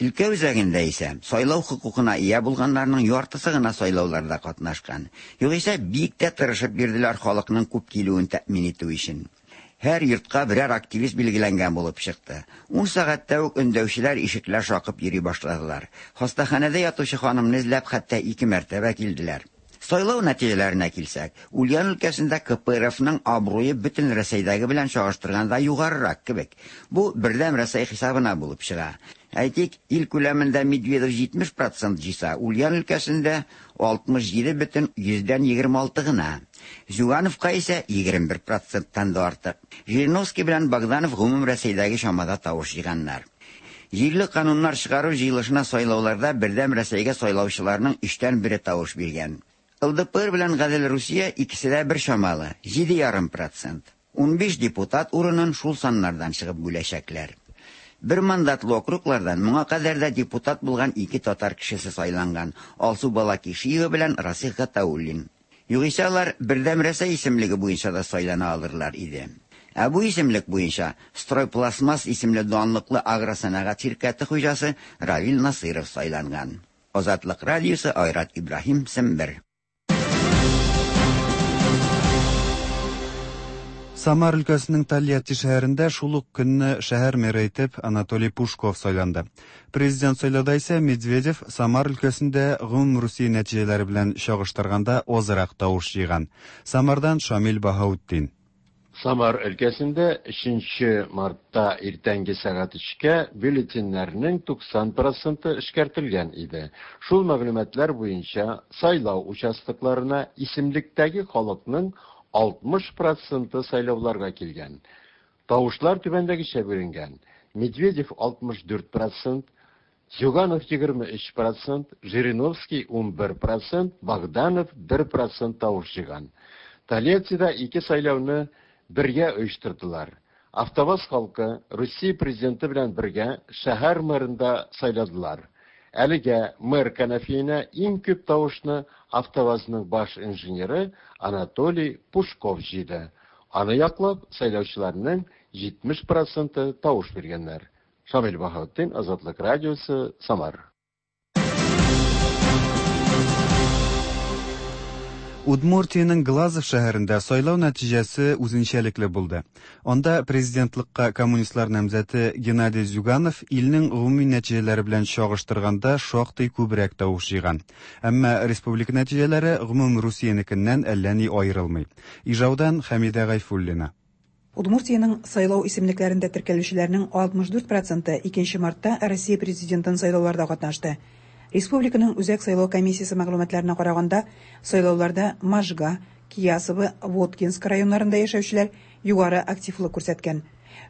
Өлкә үзәгендә исә сайлау хокукына ия булганнарның яртысы гына сайлауларда катнашкан. Югыйсә бик тә тырышып бирделәр халыкның күп килүен тәэмин итү өчен. Һәр йортка берәр активист билгеләнгән булып чыкты. 10 сәгатьтә үк өндәүчеләр ишекләр шакып йөри башладылар. Хастаханәдә ятучы ханымны эзләп хәтта ике мәртәбә килделәр. Сайлау нәтиҗәләренә килсәк, Ульян өлкәсендә КПРФның абруе бөтен Рәсәйдәге белән чагыштырганда югарырак кебек. Бу Бердәм Рәсәй хисабына булып чыга. Әйтик, ил күләмендә Медведев 70 процент җыйса, Ульян өлкәсендә 67,26 гына. Зюгановка исә 21 проценттан да артык. Жириновский белән Богданов гомум Рәсәйдәге чамада тавыш җыйганнар. Җирле кануннар чыгару җыелышына сайлауларда Бердәм Рәсәйгә сайлаучыларның өчтән бере тавыш биргән. ЛДПР белән Гадел Русия икесе дә бер чамалы, 7,5 процент. 15 депутат урынын шул саннардан чыгып бүләчәкләр. Бер мандатлы округлардан моңа кадәр дә депутат булган ике татар кешесе сайланган Алсу Балакишиева белән Расих Гатауллин. Югыйсә алар Бердәм Рәсәй исемлеге буенча да сайлана алырлар иде. Ә бу исемлек буенча Стройпластмасс исемле данлыклы агросәнәгать ширкәте хуҗасы Равил Насыйров сайланган. Азатлык радиосы Айрат Ибраһим, Сембер. Самар өлкәсенең Тольятти шәһәрендә шул ук көнне шәһәр мэры итеп Анатолий Пушков сайланды. Президент сайлауда исә Медведев Самар өлкәсендә гомумрусия нәтиҗәләре белән чагыштырганда азрак тавыш җыйган. Самардан Шамил Баһаутдин. Самар өлкәсендә өченче мартта иртәнге сәгать өчкә бюллетеньнәрнең 90 проценты эшкәртелгән иде. Шул мәгълүматлар буенча сайлау участокларына исемлектәге халыкның 60 проценты сайлауларга килгән. Тавышлар түбәндәгечә бүленгән, Медведев 64 процент, Зюганов 23 процент, Жириновский 11 процент, Богданов 1 процент тавыш җыйган. Тольяттида ике сайлауны бергә оештырдылар. АвтоВАЗ халкы Русия президенты белән бергә шәһәр мэрын да сайладылар. Әлегә мэр кәнәфиенә иң күп тавышны АвтоВАЗның баш инженеры Анатолий Пушков җыйды. Аны яклап сайлаучыларның 70 проценты тавыш биргәннәр. Шамил Баһаутдин, Азатлык радиосы, Самар. Удмуртиянең Глазов шәһәрендә сайлау нәтиҗәсе үзенчәлекле булды. Анда президентлыкка коммунистлар намзәте Геннадий Зюганов илнең гомуми нәтиҗәләре белән чагыштырганда шактый күбрәк тавыш җыйган. Әмма республика нәтиҗәләре гомум Русиянекеннән әллә ни аерылмый. Ижаудан Хәмидә Гайфуллина. Удмуртиянең сайлау исемлекләрендә теркәлүчеләрнең 64 проценты 2 мартта Россия Президентын сайлауларда катнашты. Республиканың Үзәк сайлау комиссиясе мәгълүматларына караганда, сайлауларда Можга, Киясово, Воткинск районнарында яшәүчеләр югары активлык күрсәткән.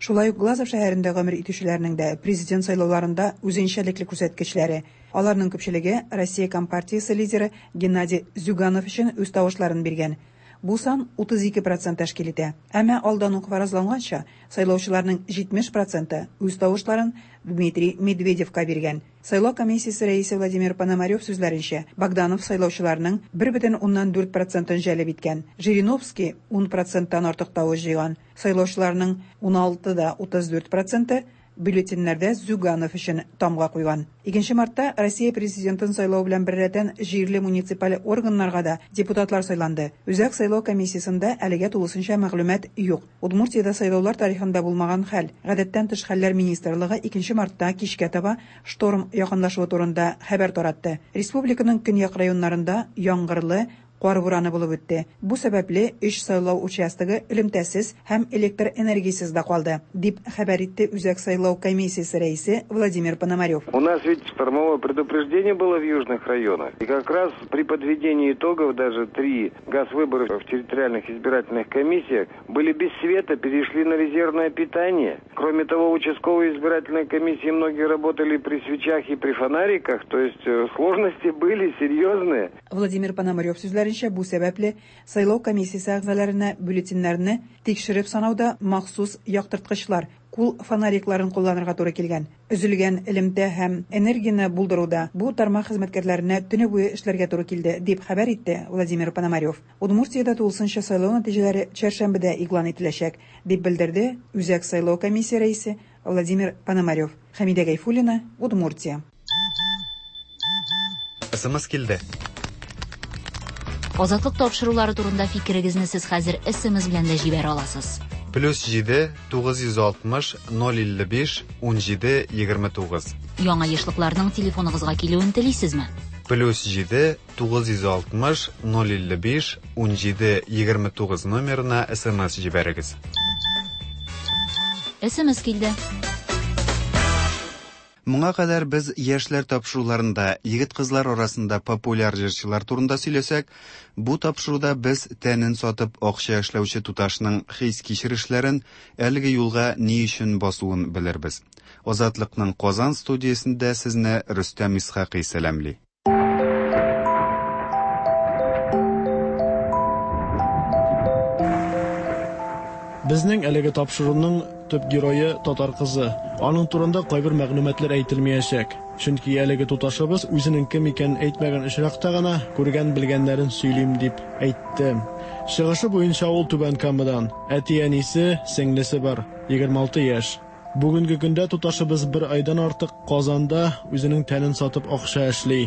Шулай ук Глазов шәһәрендә гомер итүчеләрнең дә президент сайлауларында үзенчәлекле күрсәткечләре. Аларның күпчелеге Россия Компартиясе лидеры Геннадий Зюганов өчен үз тавышларын биргән. Бу сан 32 процент тәшкил итә. Әмма алдан ук фаразланганча, сайлаучыларның 70 проценты үз тавышларын Дмитрий Медведевка биргән. Сайлау комиссиясе рәисе Владимир Пономарев сүзләренчә, Богданов сайлаучыларның 1,4 процентын җәлеп иткән. Жириновский 10 проценттан артык тавыш җыйган. Сайлаучыларның 16,34 проценты бюллетеньнәрдә Зюганов өчен тамга куйган. 2 мартта Россия президентын сайлау белән беррәттән җирле муниципаль органнарга да депутатлар сайланды. Үзәк сайлау комиссиясендә әлегә тулысынча мәгълүмат юк. Удмуртиядә сайлаулар тарихында булмаган хәл. Гадәттән тыш хәлләр министрлыгы 2 мартта кичкә таба шторм якынлашуы турында хәбәр таратты. Республиканың көньяк районнарында яңгырлы кар бураны булып үтте. Бу сәбәпле өч сайлау участогы элемтәсез һәм электр энергиясез дә калды, дип хәбәр итте Үзәк сайлау комиссиясе рәисе Владимир Пономарев. У нас ведь штормовое предупреждение было в южных районах. И как раз при подведении итогов даже три газ-выборов в территориальных избирательных комиссиях были без света, перешли на резервное питание. Кроме того, участковые избирательные комиссии многие работали при свечах и при фонариках, то есть сложности были серьезные. Владимир Пономарев сүзләренчә, бу сәбәпле сайлау комиссиясе әгъзаларына бюллетеньнәрне тикшереп санауда махсус яктырткычлар, кул фонарикларын кулланырга туры килгән. Өзелгән элемтә һәм энергияне булдыруда бу тармак хезмәткәрләренә төне буе эшләргә туры килде, дип хәбәр итте Владимир Пономарев. Удмуртиядә тулысынча сайлау нәтиҗәләре чәршәмбедә игълан ителәчәк, дип белдерде Үзәк сайлау комиссия рәисе Владимир Пономарев. Хәмидә Гайфуллина, Удмуртия. СМС килде. Азатлык тапшырулары турында фикерегезне сез хәзер SMS белән дә җибәрә аласыз. Плюс 7 960 055 17 29. Яңа ешлыкларның телефоныгызга килүен телисезме? Плюс 7 960 055 17 29 номерына SMS җибәрегез. SMS килде. Моңа кадәр без яшьләр тапшыруларында егет-кызлар арасында популяр җырчылар турында сөйләсәк, бу тапшыруда без тәнен сатып акча эшләүче туташның хис-кичерешләрен, әлеге юлга ни өчен басуын белербез. Азатлыкның Казан студиясендә сезне Рөстәм Исхакый сәламли. Безнең әлеге тапшыруның төп герое татар кызы. Аның турында кайбер мәгълүматлар әйтелмәячәк. Чөнки әлеге туташыбыз үзенең кем икәнен әйтмәгән очракта гына күргән-белгәннәрен сөйлим дип әйтте. Чыгышы буенча ул Түбән Камадан. Әти-әнисе, сеңлесе бар. 26 яшь. Бүгенге көндә туташыбыз бер айдан артык Казанда үзенең тәнен сатып акча эшли.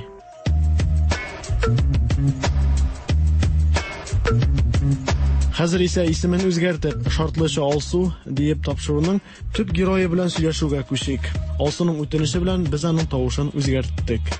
Хәзер исә исемен үзгәртеп, шартлыча Алсу диеп тапшыруның төп герое белән сөйләшүгә күчик. Алсуның үтенече белән без аның тавышын үзгәрттек.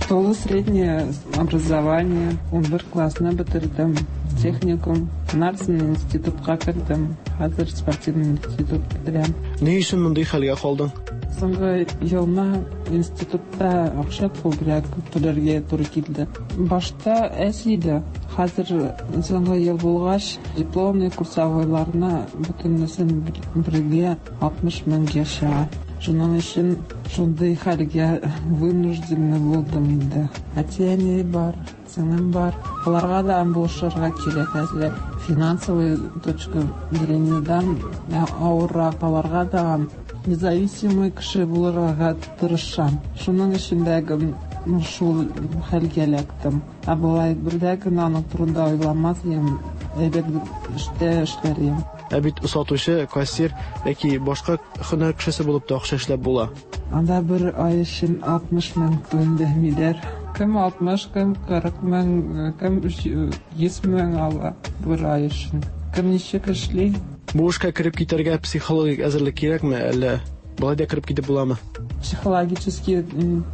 Тулы среднее образование, 11 классны бетердем, техникум, аннан институтка кердем, хәзер спортивный институт бетерәм. Ни өчен мондый хәлгә калдың? Соңгы елны институтта акча күбрәк түләргә туры килде. Башта әз иде, хәзер соңгы ел булгач, дипломный курсовойларны бөтенесен бергә 60 меңгә чыга. Шуның өчен шундый хәлгә вынужденный булдым инде. Әти-әни бар, сеңлем бар. Аларга да булышырга кирәк әзрәк. Финансовый точка зрениедан авыррак аларга да независимый кеше булырга тырышам. Шуның өчен дә шул хәлгә эләктем. Ә болай бер дә генә аның турында уйламас идем, әйбәт эштә эшләр идем. Ә бит сатучы, кассир яки башка һөнәр кешесе булып та акча эшләп була. Анда бер ай өчен 60 мең түләмиләр. Кем 60, кем 40 мең, кем 100 мең ала бер ай өчен. Кем ничек эшли. Бу эшкә кереп китәргә психологик әзерлек кирәкме, әллә болай да кереп китеп буламы? Психологический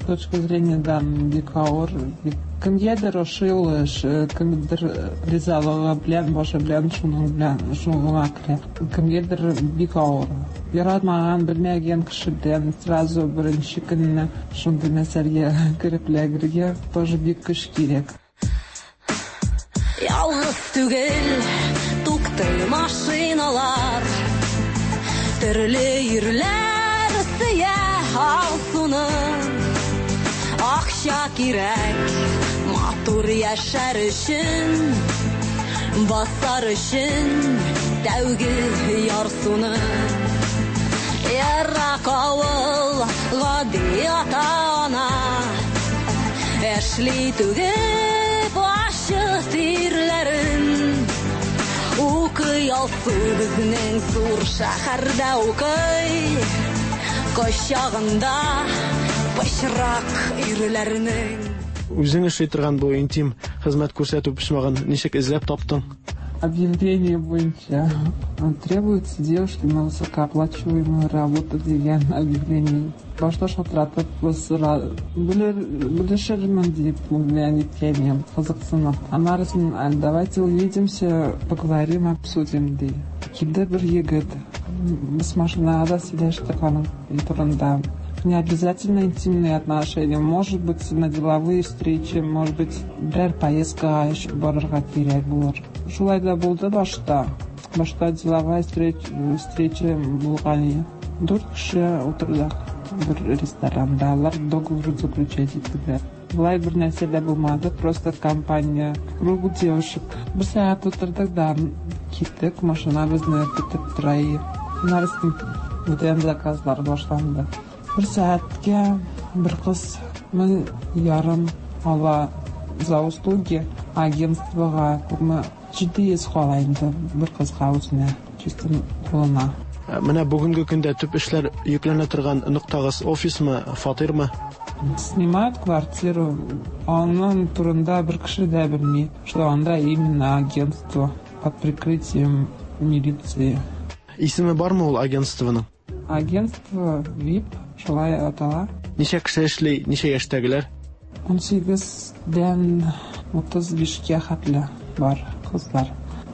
точка зрениедан бик авыр. Бик кемгәдер ошый ул эш, кемдер ризалыгы белән, башы белән шуның белән шуңа керә. Кемгәдер бик авыр. Яратмаган, белмәгән кеше белән сразу беренче көнне шундый мәсьәләгә кереп эләгергә тоже бик көч кирәк. Ялгыз түгел, туктый машиналар. Төрле ирләр сөя Алсуны. Акча кирәк, матур яшәр өчен, басар өчен тәүге ярсуны. Ерак авыл, гади ата-ана, эшли түгеп ачы тирләрен. Укый Алсу безнең зур шәһәрдә укый, кочагында пычрак ирләрнең. Үзең эшли торган бу интим хезмәт күрсәтү почмагын ничек эзләп таптың? Объявление буенча требуются девушки на высокооплачиваемую работу дигән объявление. Башта шалтыратып белешермен дип белән иткән кызыксынып. Аннары давайте увидимся, поговорим, обсудим ди. Килде бер егет. Без машинада сөйләштек аның турында. Не обязательно интимные отношения, может быть, на деловые встречи, может быть, берәр поездкага барырга кирәк булыр. Шулай да булды башта. Башта деловая встреча булган. Дүрт кеше утырдык бер ресторанда. Алар договор заключать иттеләр. Болай бер нәрсә дә булмады, просто компания, круг девушек. Бер сәгать утырдык да киттек, машина безне көтеп тора иде. Аннары бүтән заказлар башланды. Бер сәгатькә бер кыз 1500 ала за услуги агентствога күпме 700 кала инде бер кызга үзенә, чисто кулына. Менә бүгенге көндә төп эшләр йөкләнә торган ноктагыз офисмы, фатирмы? Снимают квартиру, аның турында бер кеше дә белми, что анда именно агентство под прикрытием милиции. Исеме бармы ул агентствоның? Агентство VIP шулай атала. Ничә кеше эшли, ничә яшьтәгеләр? 18-дән 35-кә хәтле бар кызлар.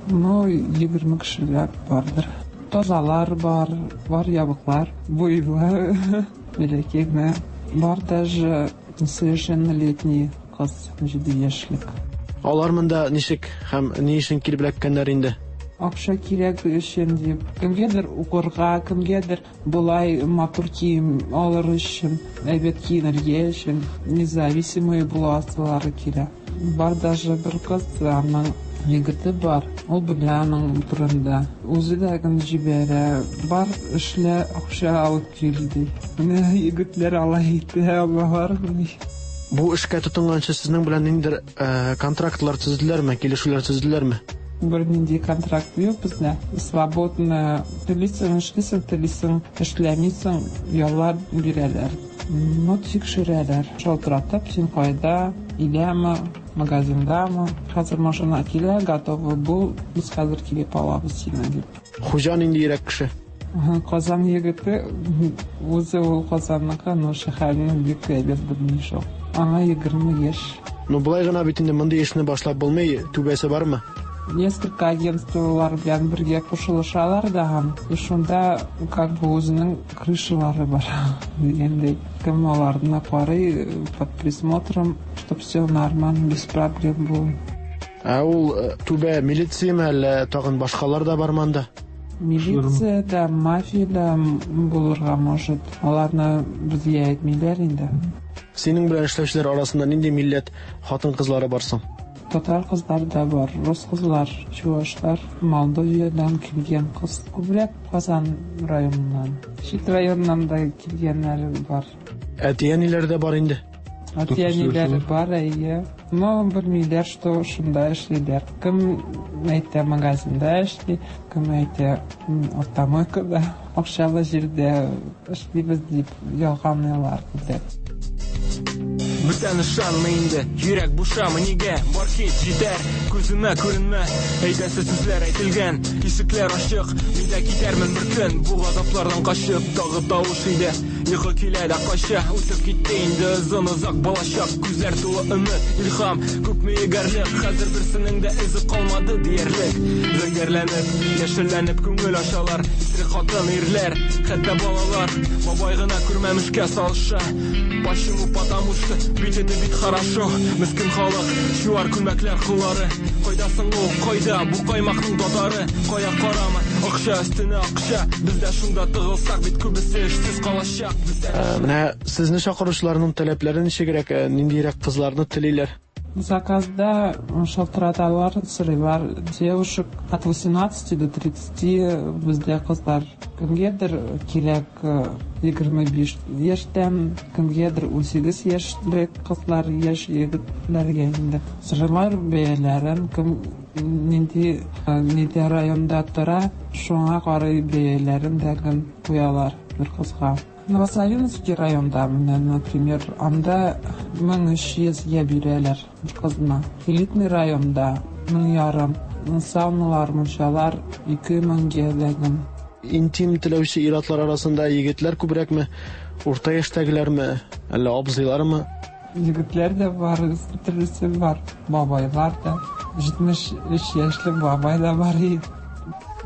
Ну, 20 кешеләр бардыр. Тазалар бар, бар ябыклар, буйлы, бәләкәй генә. Бар даже несовершеннолетний кыз, 7 яшьлек. Алар монда ничек һәм ни өчен килеп эләккәннәр инде? Акча кирәк өчен дип. Кемгәдер укырга, кемгәдер болай матур кием алыр өчен, әйбәт киенергә өчен, независимый буласылары килә. Бар даже бер кыз, аның егете бар. Ул белә аның турында. Үзе дә гел җибәрә. Бар, эшлә, акча алып кил, ди. Менә егетләр алай итә алалармыни? Бу эшкә тотынганчы сезнең белән ниндидер контрактлар төзеделәрме, килешүләр төзеделәрме? Бернинди контракт юк бездә. Свободно телисең, эшлисең, телисең, эшләмисең, яллар бирәләр. Ну, тикшерәләр. Шалтыратып, син кайда, өйдәме, магазиндамы? Хәзер машина килә, готовый бул, без хәзер килеп алабыз сине, дип. Хуҗа ниндиерәк кеше? Казан егете, үзе ул Казанныкы, но шәһәрне бик әйбәт белми шул. Аңа 20 яшь. Ну, болай гына бит инде мондый эшне башлап булмый, түбәсе бармы? Несколько агентстволар белән бергә кушылышалар да һәм и шунда как бы үзенең крышалары бар дигәндәй. Кем аларны карый под присмотром, чтоб все нормально, без проблем было. Ә ул э, түбә милицияме әллә тагын башкалар да бармы анда? Милиция дә, мафия дә булырга может. Аларны безгә әйтмиләр инде. Синең белән эшләүчеләр арасында нинди милләт хатын-кызлары бар соң? Татар кызлары да бар, рус кызлар, чувашлар, Молдовиядән килгән кыз. Күбрәк Казан районыннан. Чит районнан да килгәннәре бар. Әти-әниләре дә бар инде. Әти-әниләре бар, әйе. Но белмиләр, что шунда эшлиләр. Кем әйтә магазинда эшли, кем әйтә автомойкада, акчалы җирдә эшлибез дип ялганлыйлар күбрәк. Бүтән ышанма инде, йөрәк бушамы нигә? Бар кит, җитәр, күземә күренмә. Әйтәсе сүзләр әйтелгән, ишекләр ачык. Мин дә китәрмен бер көн, бу газаплардан качып. Тагы тавыш иде, йокы килә дә кача. Үтеп китте инде озын-озак балачак. Күзләр тулы өмет, илһам, күпме егәрлек. Хәзер берсенең дә эзе калмады диярлек. Зәңгәрләнеп, яшелләнеп күңел ачалар. Исерек хатын, ирләр, хәтта балалар. Бабай гына күрмәмешкә салыша. Почему? Потому что ведь это бит хорошо. Мескен халык, чуар күлмәкләр коллары. Кайда соң ул, кайда бу каймакның татары? Кая карама, акча өстенә акча. Без дә шунда тыгылсак, бит күбесе эшсез калачак. Без дә Э, Менә сезне чакыручыларның таләпләре ничегрәк, э, ниндирәк кызларны телиләр? Заказда шалтыраталар, сорыйлар девушек от 18 до 30 бездә кызлар. Кемгәдер кирәк 25 яшьтән, кемгәдер 18 яшьлек кызлар, яшь егетләргә инде. Сорыйлар бәяләрен, кем нинди нидә районда тора, шуңа карый бәяләрен дә куялар бер кызга. Новославянский районда, менә, например, анда 1300 гә бирәләр бер кызны. Элитный районда 1500. Сауналар, мунчалар 2000 гә дәген. Интим теләүче ир-атлар арасында егетләр күбрәкме, урта яшьтәгеләрме, әллә абзыйлармы? Егетләр дә бар, төрлесе бар, бабайлар да. 73 яшьлек бабай да бар иде.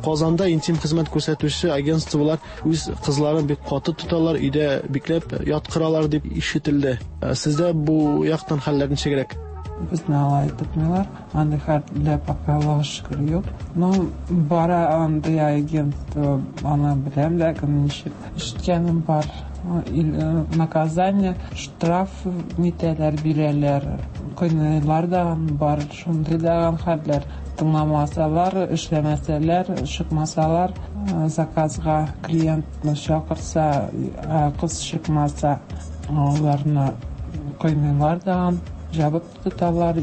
Казанда интим хезмәт күрсәтүче агентстволар үз кызларын бик каты тоталар, өйдә бикләп яткыралар дип ишетелде. Ә Сездә бу яктан хәлләр ничегрәк? Безне алай тотмыйлар. Андый хәлләр пока, Аллага шөкер, юк. Ну, бара андый агентство, аны беләм, ләкин ничек ишеткәнем бар. Наказание, штраф нитәләр, бирәләр. Кыйныйлар да бар, шундый да хәлләр. Тыңламасалар, эшләмәсәләр, чыкмасалар, заказга клиентны чакырса, кыз чыкмаса, аларны кыйныйлар да, җабып тоталар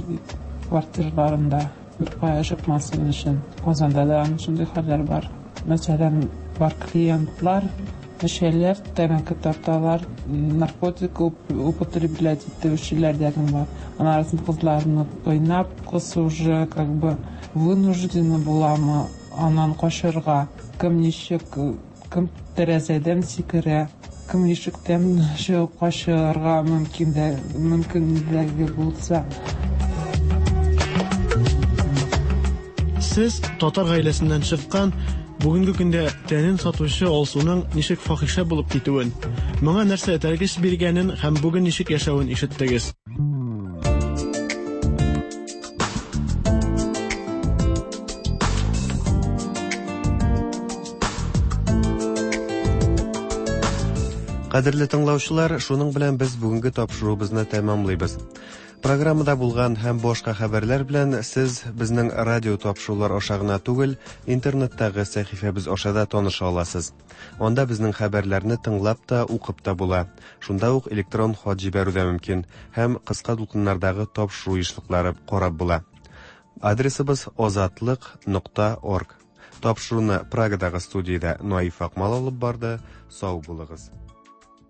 квартираларында, беркая чыкмасын өчен. Казанда да шундый хәлләр бар. Мәсәлән, бар клиентлар эчәләр, тәмәке тарталар, наркотик употреблять итүчеләр дә бар. Анарысын кызларны кыйнап, кыз уже как бы вынуждена буламы аннан качарга. Кем ничек, кем тәрәзәдән сикерә, кем ишектән чыгып качарга мөмкин дә, мөмкинлеге булса. Сез татар гаиләсеннән чыккан, бүгенге көндә тәнен сатучы Алсуның ничек фахишә булып китүен, моңа нәрсә этәргеч биргәнен һәм бүген ничек яшәвен ишеттегез. Кадерле тыңлаучылар, шуның белән без бүгенге тапшыруыбызны тәмамлыйбыз. Программада булган һәм башка хәбәрләр белән сез безнең радио тапшырулар аша гына түгел, интернеттагы сәхифәбез аша да таныша аласыз. Анда безнең хәбәрләрне тыңлап та, укып та була. Шунда ук электрон хат җибәрү дә мөмкин һәм кыска дулкыннардагы тапшыру ешлыклары карап була. Адресыбыз азатлык нокта орг. Тапшыруны Прагадагы студиядә Наиф Акмал алып барды. Сау булыгыз.